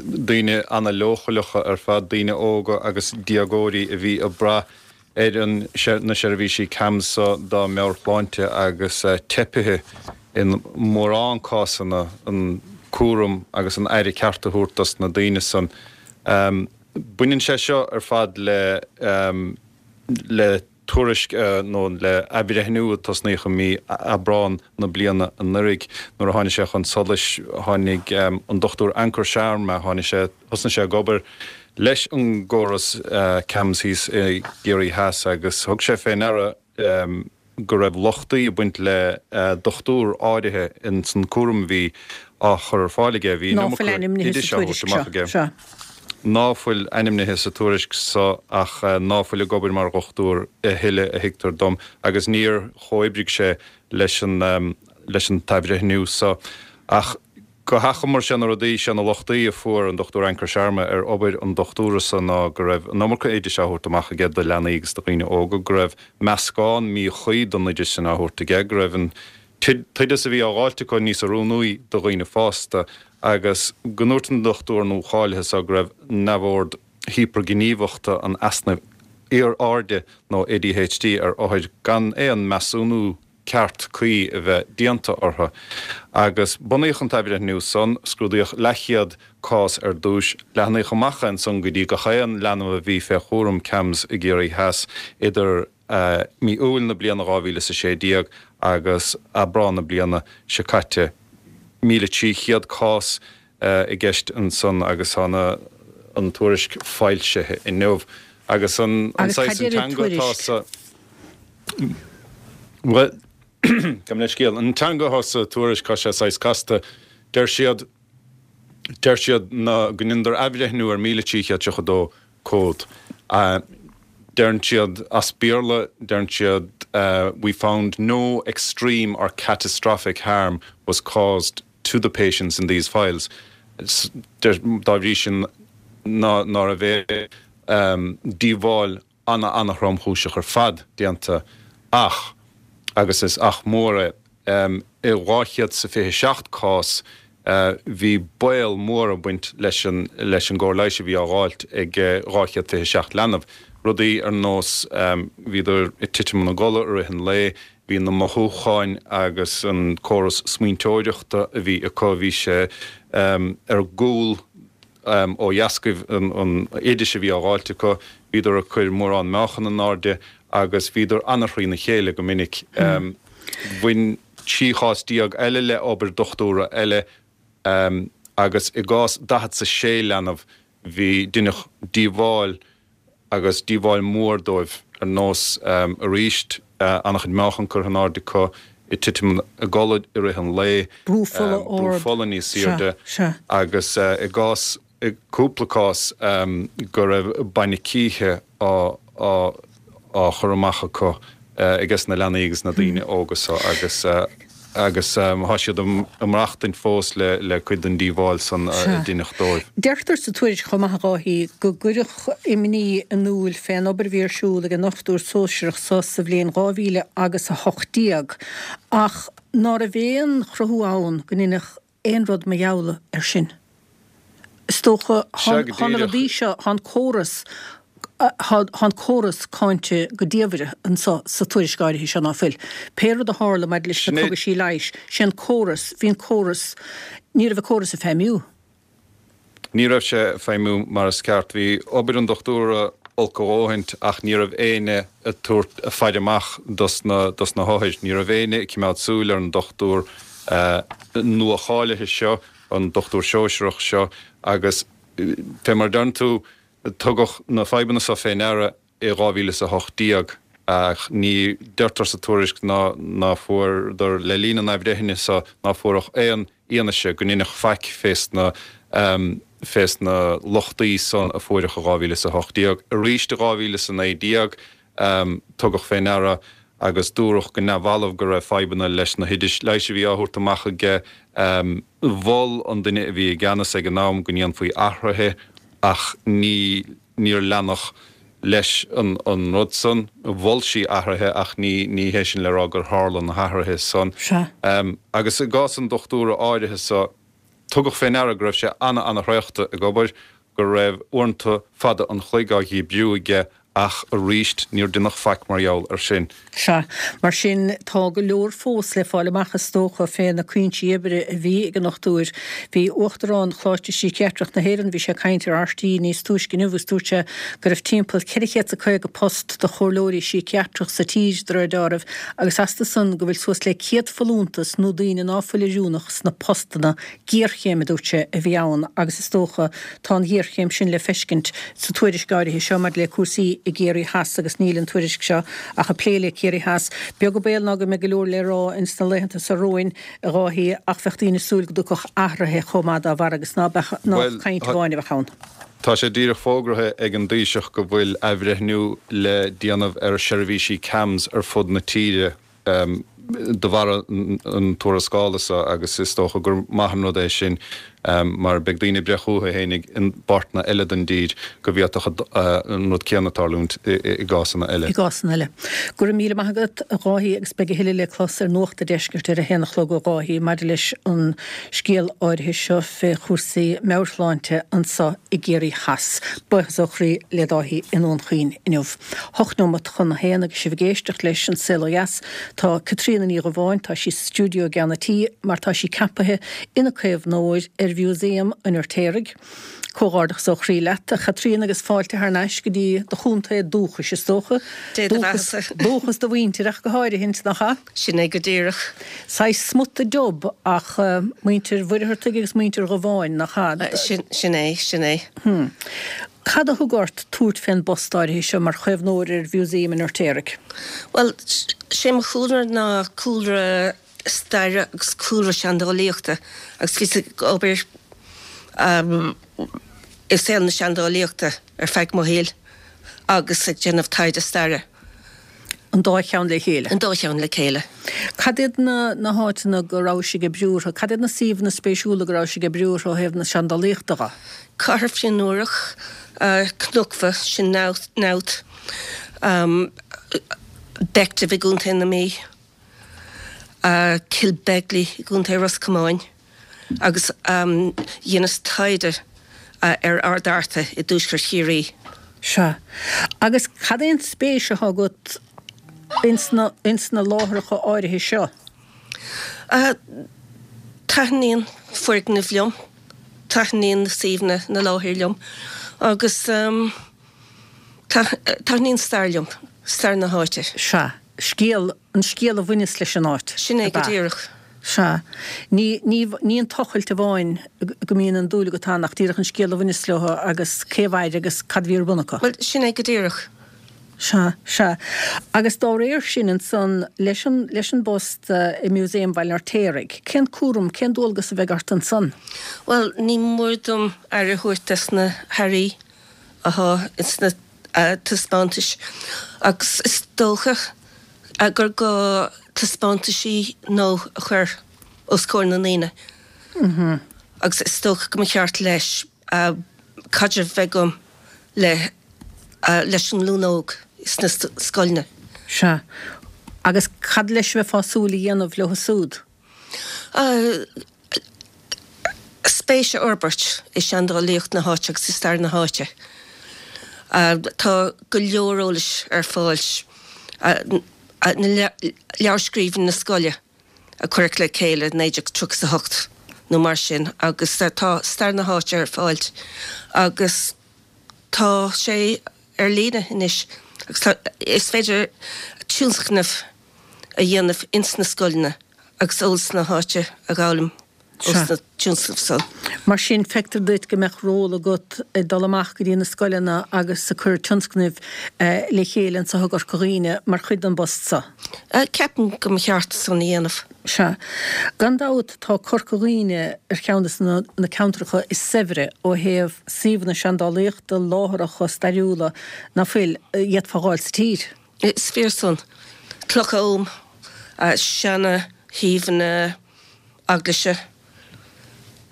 daoine ana-leochaileacha ar fad, daoine óga agus déagóirí a bhí ag brath ar an na seirbhísí CAMHS so dá meabhairshláinte agus teipithe in mórán cásanna an cúram agus an aire ceart a thabhairt dos na daoine san. Baineann sé seo ar fad le le tuairisc nó le athbhreithniú a tosnaíodh i mí Aibreán na bliana anuraidh. Nuair a tháinig sé chun solais tháinig an Dr Ankur Sharma, tháinig sé, thosnaigh sé ag obair leis an gcóras CAMHS thíos i gCiarraí Theas agus thug sé fé ndeara. go raibh lochtaí ag baint le dochtúir áirithe ins an cúram a bhí á chur ar fáil aige. Bhí an Ná fuil iomarca ainmnithe oidis sa á thabhairt tuairisc amach seo. aige. Sea. Ná fuil ainmnithe sa tuairisc so ach ná fuil ag obair mar dhochtúir a thuilleadh a thuigtear dom agus níor chomhoibrigh sé leis an leis an t-athbhreithniú so. Ach go hachomair sé na rudaí, sé na lochtaí a fuair an Dr Ankur Sharma ar obair an dochtúra so ná go raibh an iomarca oidis á thabhairt amach aige do leanaí agus do dhaoine óga, go raibh meascán míchuí den oideas sin á thabhairt aige, go raibh an t-oideas a bhí á dháilt acu níos oiriúnaí do dhaoine fásta agus go ndúirt an dochtúir nuacháilithe so go raibh neamhord hípearghníomhachta an easnaimh airde nó ADHD ar othair gan aon measúnú ceart cuí a bheith déanta orthu. Agus bunaíodh an t-athbhreithniú san, scrúdaíodh leathchéad cás ar dtúis, leathnaíodh amach é ansan go dtí gach aon leanbh a bhí fé chúram CAMHS i gCiarraí Theas idir mí Iúil na bliana 2016 agus Aibreán na bliana seo caite. 1,300 cás i gceist ansan agus tá na an tuairisc foilsithe inniu. Agus an Agus saghas cad deir an teanga atá tuairisc? sa. Bhuel, gabh mo leithscéal. An teanga atá sa tuairisc, tá sé saghas casta. Deir siad, deir siad ná go ndeineadar athbhreithniú ar 1,332 comhad. Deireann siad, as Béarla, deireann siad we found no extreme or catastrophic harm was caused to the patients in these files. Dá bhrí sin ná ná raibh aon díobháil ana-ana-thromchúiseach ar fad déanta ach, agus is ach mór é, i 227 cás bhí baol mór ag baint leis an leis an gcóir leighis a bhí á dháilt ag 227 leanbh. Rudaí ar nós bhíodar ag titim ina gcodladh i rith an lae, bhí na mothúcháin agus an córas smaointeoireachta a bhí acu, bhí sé ar gcúl ó dheascaibh an oidis a bhí á dháilt acu, bhíodar ag cur mórán meáchan in airde agus bhíodar an-thrína chéile go minic. Bhain 13 chás eile le obair dochtúra eile agus i gcás 46 leanbh bhí deineadh díobháil agus díobháil mhór dóibh, ar nós, arís, an-chuid meáchan curtha in airde acu, ag titim i gcodladh i rith an lae, Brú fola brú ard. fola níos Sea, airde, sea. agus i gcás, i gcúpla cás, go raibh bainne cíche á, á, á chur amach acu ages na leanaí agus na daoine óga so agus. agus tá siad ag maireachtaint fós le cuid den díobháil san a deineadh dóibh. Deirtear sa tuairisc chomh maith a Dháithí go gcuireadh imní in iúl fén obair a bhí ar siúl ag an ndochtúir sóisearach so sa bhliain 2000 agus 18 ach ná raibh aon chruthú ann go ndeineadh aon rud mar gheall air sin. Is dócha, Sea, go thá na díreach. rudaí seo, thá an córas, thá an córas cáinte go diamhair anso sa tuairisc áirithe seo, ná fuil? Pé rud a tharla maidir leis na Sin é. cogaisí leighis, sé an córas, bhí an córas, ní raibh an córas ag feidhmiú. Ní raibh sé ag feidhmiú mar is ceart. Bhí obair an dochtúra olc a dhóthaint ach ní raibh éinne ag tabhairt faire amach dos na dos na hothair. Ní raibh éinne ag cimeád súil ar an dochtúr nua-cháilithe seo, an dochtúir sóisearach seo agus fé mar a deireann tú, tugadh na fadhbanna seo fé ndeara i 2018 ach ní deirtear sa tuairisc ná ná fuaireadar le linn an athbhreithnithe seo ná fuaireadh aon fhianaise go ndeineadh faic fés na fés na lochtaí san a fuaireadh i 2018. Arís i 2019 tugadh fé ndeara agus dúradh go neamhbhalbh go raibh fadhbanna leis na hoidis leighis a bhí á thabhairt amach aige. Mhol an duine a bhí i gceannas ag an am go ndéanfaí athruithe ach ní níor leanadh leis an an rud san. Mhol sí athruithe ach ní ní hé sin le rá gur tharla na hathruithe san. Sea. Agus i gcás an dochtúra áirithe so, tugadh fé ndeara go raibh sé ana-ana-thraochta ag obair, go raibh uaireanta fada an chloig á dhíbriú aige ach aríst níor deineadh faic mar gheall ar sin. Sea. Mar sin, tá go leor fós le fáil amach is dócha fé na cuinsí oibre a bhí ag an ndochtúir. Bhí Uachtarán Choláiste Síciatrach na hÉireann, bhí sé ag caint ar RTÉ níos túisce inniu agus dúirt sé go raibh timpeall 450 post do chomhairleoirí síciatrach sa tír de réir deáraimh agus astu san go bhfuil suas le 100 folúntas nó daoine ná fuil oiriúnach sna postanna Géarchéim, a dúirt sé, a bhí ann agus is dócha tá an ghéarchéim sin le feiscint sa tuairisc áirithe seo maidir le cúrsaí. i gCiarraí Theas agus níl an tuairisc seo ach ag plé le Ciarraí Theas. Beag an baol ná go mbeidh go leor le rá ins na laethanta seo romhainn, a Dháithí, ach bheadh daoine ag súil go dtiocfadh athruithe chomh maith dá bharr agus ná beadh, nách caint amháin a bheadh ann. Tá sé díreach fógraithe ag an dTaoiseach go bhfuil athbhreithniú le déanamh ar sheirbhísí CAMHS ar fud na tíre. de bharr an tuarascála seo agus is dócha gur maith an rud é sin mar beidh daoine ag breith chucu fhéinig i bpáirteanna eile den dtír go bhféadfadh an rud céanna tarlúint i gcásanna eile. I gcásanna eile. Go raibh míle maith agat, a Dháithí, agus beidh a thuilleadh le clos ar Nuacht a' Deiscirt ar a haon a chlog ó Dháithí maidir leis an scéal áirithe seo fé chúrsaí meabhairshláinte anso i gCiarraí Theas. Buíochas ó chroí le Dáithí i nDún Chaoin inniu. 8 neomat chun a haon agus sibh ag éisteacht leis An Saol Ó Dheas. Tá Caitríona Ní Dhubháin, tá sí sa stiúideo i gceann an tí mar tá sí ceapaithe ina caomhnóir ar Mhúsaem an Fheirtéaraigh. Comhghairdeachas ó chroí leat, a Chaitríona agus fáilte thar n-ais go dtí do chontae dúchais, is dócha. Dé do bheatha-sa. Dúchas do mhuintire ach go háirithint, nach ea? Sin é go díreach. Saghas smut dub ach muintir Mhuircheartaigh agus muintir Dhubháin, nach ea? Sin é, sin é. Cad a thug ort tabhairt fén bpost áirithe seo mar chaomhnóir ar Mhúsaem an Fheirtéaraigh? Bhuel, sé mo chúlra ná cúlra staire agus cúlra seandálaíochta agus bhíos ag obair i saol na seandálaíochta ar feadh mo shaoil agus ag déanamh taighde staire. An dá cheann le chéile? An dá cheann le chéile. Cad iad na na háiteanna go rabhais ag oibriú orthu? Cad iad na suíomhanna spéisiúla go rabhais ag oibriú orthu ó thaobh na seandálaíochta dhe? Cathair Fionn Úrach, Cnocbha, sin Knowth, Bective i gContae na Mí, Kilbegley i gContae Ros Comáin agus dheineas taighde ar Ard Fhearta i dtuaisceart Chiarraí. Sea. Agus cad é an spéis atá agat ins na, ins na láithreacha áirithe seo? Taitníonn foirgnimh liom, taitníonn na suíomhanna, na láthair liom agus taitníonn stair liom, stair na háite. Sea. Scéal, an scéal a bhaineas leis an áit, Sin é go díreach. Sea. Ní, ní, ní an tochailt amháin go mbíonn an dúil agat ann ach díreach an scéal a bhaineas leo agus cé a mhair agus cad a bhí ar bun acu. Bhuel, sin é go díreach. Sea, sea. Agus dá réir sin ansan, leis an, leis an bpost i Museum Bhaile an Fheirtéaraigh, cén cúram, cén dualgas a bheidh ort ansan? Bhuel, ní mór dom aire a thabhairt dos na hearraí atá ins na taispeántais agus is dócha gur gá taispeántaisí nua a chur os comhair na ndaoine agus is dócha go mba cheart leis caidreamh bheith agam le leis an nglúin óg sna scoileanna. Sea. Agus cad leis a bheifeá ag súil a dhéanamh leo súd? Spéis a fhorbairt i seandálaíocht na háite agus i stair na háite. Tá go leor eolais ar fáil na leabharscríbhinní na scoile a cuireadh le chéile i 1938 nó mar sin agus tá stair na háite ar fáil agus tá sé ar líne anois agus tá is féidir tionscnaimh a dhéanamh ins na scoileanna agus eolas na háite a dh'fhoghlaim ós na tionscnaimh san. Mar sin, feictear duit go mbeadh ról agat ag dul amach go dtí na scoileanna agus ag cur tionscnaimh le chéile anso i gCorca Dhuibhne mar chuid den bpost so? Ceapaim go mba cheart san a dhéanamh. Sea. Gan dabht tá Corca Dhuibhne ar cheann de na ceantracha is saibhre ó thaobh suíomhanna seandálaíochta, láithreacha stairiúla, ná fuil, a d'fhéadfá a dh'fháil sa tír. Is fíor san. Clocha Oghaim, seana shuíomhanna eaglaise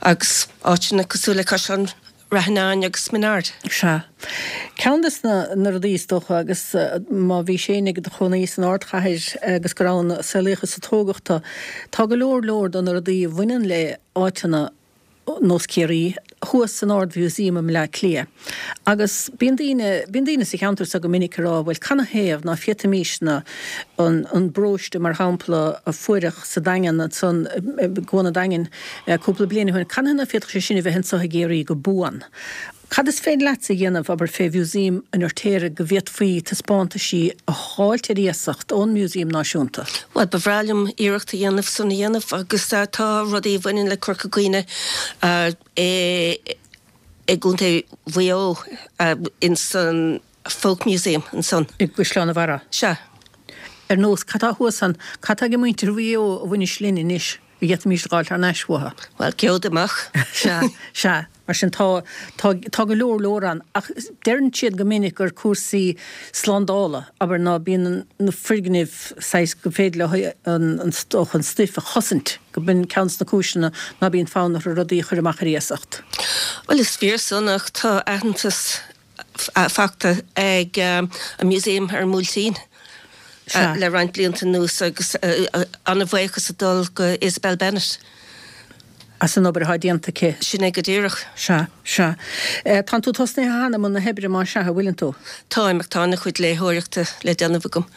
agus áiteanna cosúil le Caisleán Rath Fhionáin agus Minaard. Sea. Ceann de na rudaí is dócha agus má bhís féin i do chónaí san ardchathair agus gur ann a saolaíodh is a tógadh tú, tá go leor leor de na rudaí a bhaineann le áiteanna nós Ciarraí, thuas san Ard-Mhúsaem i mBleá Cliath. Agus bíonn daoine, bíonn daoine sa cheantar so go minic ag rá, bhuel, canathaobh ná féadfaimísne an, an bróiste, mar shampla, a fuaireadh sa Daingean ansan, i gCuan an Daingin, cúpla bliain ó shin, canathaobh ná féadfadh sé sin a bheith anso i gCiarraí go buan? Cad is féidir leatsa a dhéanamh, abair, fé Mhúsaem an Fheirtéaraigh go bhféadfaí taispeántaisí a dh'fháilt ar iasacht ón Músaem Náisiúnta? Bhuel, ba bhreá liom iarracht a dhéanamh san a dhéanamh agus tá rudaí a bhaineann le Corca Dhuibhne i gContae Mhaigh Eo ins an. Folk Museum ansan. I gCaisleán an Bharraigh? Sea. Ar nós, cad tá thuas ann, cad tá ag muintir Mhaigh Eo a bhaineas linn anois a d'fhéadfaimis a dh'fháil thar n-ais uathu? Bhuel, geobhaid amach. Sea, sea. Mar sin tá, tá, tá go leor leor ann. Ach deireann siad go minic gur cúrsaí slándála, abair, ná bíonn na foirgnimh saghas go féidir leo an, an, an stuif a chosaint, go b'in ceann de na cúiseanna ná bíonn fonn orthu rudaí a chur amach ar iasacht. Bhuel, is fíor san ach tá aitheantas faighte ag an Museum ar an mBuailtín le roinnt blianta anuas agus an-bhuíochas ag dul go Isabel Bennett. As an obair atá déanta aici. Sin é go díreach. Sea, sea. Tánn tú tosnaithe cheana i mbun na hoibre, más sea, an bhfuileann tú? Táim, ach tá an-chuid léitheoireachta le déanamh agam.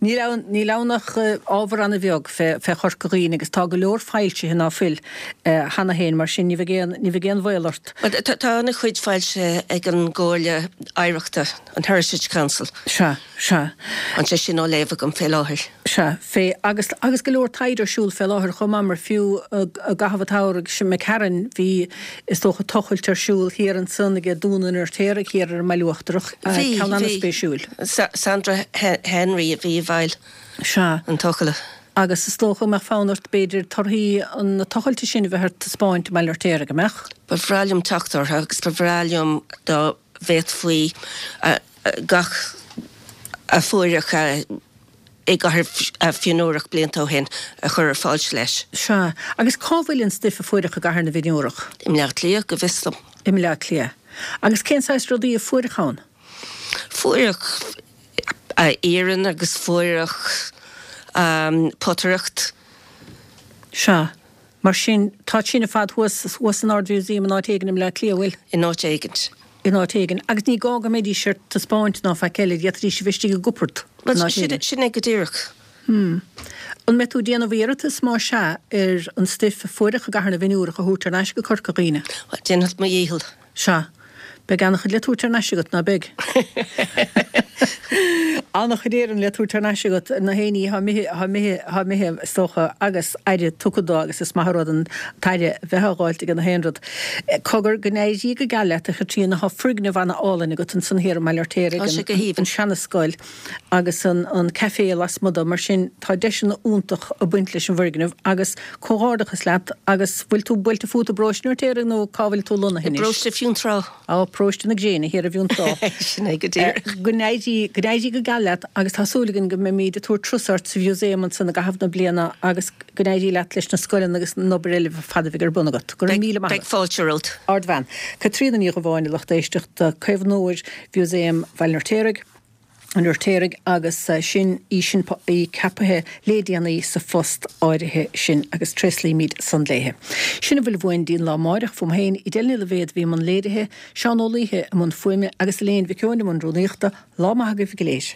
Níl ann, níl ann ach ábhar an-bheag fé, fé Chorca Dhuibhne agus tá go leor foilsithe ná fuil cheana féin, mar sin ní bheidh aon, ní bheidh aon bhaol ort. Bhuel, tá, tá an-chuid foilsithe ag an gComhairle Oidhreachta, an Heritage Council. Sea, sea. Tá sé sin á léamh agam fé láthair. Sea, fé, agus, agus go leor taighde ar siúl fé láthair chomh maith, mar fiú i gcaitheamh an tsamhraidh sin imigh tharainn, bhí, is dócha, tochailt ar siúl thiar ansan ag Dún an Fheirtéaraigh thiar ar an mBaile Uachtarach, Bhí, ceann bhí. an-spéisiúil. Sandra Henry a bhí i bhfeighil Sea. an tochailte. Agus is dócha go mbeadh fonn ort, b'fhéidir, torthaí na tochailte sin a bheith ar taispeáint i mBaile an Fheirtéaraigh, an mbeadh? Ba bhreá liom teacht orthu agus ba bhreá liom dá bhféadfaí gach a fuaireadh i gCathair Fhionnúrach blianta ó shin a chur ar fáil leis. Sea. Agus cá bhfuil an stuif a fuaireadh i gCathair na bhFionnúrach? I mBleá Cliath, go bhfios dom. I mBleá Cliath. Agus cén saghas rudaí a fuaireadh ann? Fuaireadh iarann agus fuaireadh potaireacht. Sea. Mar sin, tá sin ar fad thuas, thuas san Ard-Mhúsaem in áit éigin i mBleá Cliath, an bhfuil? In áit éigint. In áit éigin. Agus ní gá go mbeidís ar taispeáint ná faic eile, d'fhéadfaidís a bheith istigh i gcupard in Bhuel, áit sin, éigin. sin é go díreach. Hmm. An mbeidh tú ag déanamh iarratas, más ea, ar an stuif a fuaireadh i gCathair na bhFionnúrach a thabhairt thar n-ais go Corca Dhuibhne? Bhuel, déanfad mo dhícheall. Sea. Beidh an-chuid le tabhairt thar n-ais agat, ná beidh? An-chuid iarainn le tabhairt thar n-ais agat, na héinní atá imithe, atá imithe, atá imithe, is dócha, agus aire tugtha dó agus is maith an rud an t-aire a bheith á dh'fháilt aige na haon rud. Cogar, go n-éirí go geal leat, a Chaitríona, tá foirgneamh ana-álainn agat ansan thiar i mBaile Fheirtéaraigh, Tá sé go haoibhinn. an seanascoil agus an an café lasmuigh de, mar sin tá deiseanna iontach ag baint leis an bhfoirgneamh agus comhghairdeachas leat agus bhfuil tú buailte fút i bParóiste an Fheirtéaraigh nó cá bhfuil tú lonnaithe I anois? bParóiste Fionntrá. Á, Paróiste na Gréine thiar i bhFionntrá. Sin é go díreach. Go n-éirí, go n-éirí go geal leat agus tá súil againn go mbeimíd ag tabhairt turas ort sa mhúsaem ansan i gcaitheamh na bliana agus go n-éirí leat leis na scoileanna agus an obair eile ar fad a bheidh ar bun agat. Go raibh míle maith agat. Beidh fáilte romhat. Ardbhean. Caitríona Ní Dhubháin, a lucht éisteachta, caomhnóir Mhúsaem Bhaile an Fheirtéaraigh. an Fheirtéaraigh agus sin í sin í ceapaithe lé déanaí sa phost áirithe sin agus tréaslaímid san léithe. Sin a bhfuil uainn dtí'n lá amáireach, fúm féin, Edel Ní Loibhéad a bhí i mbun léirithe, Seán Ó Laoithe i mbun fuaime agus Elaine Mhic Eoin i mbun rúnaíochta, lá maith agaibh go léir.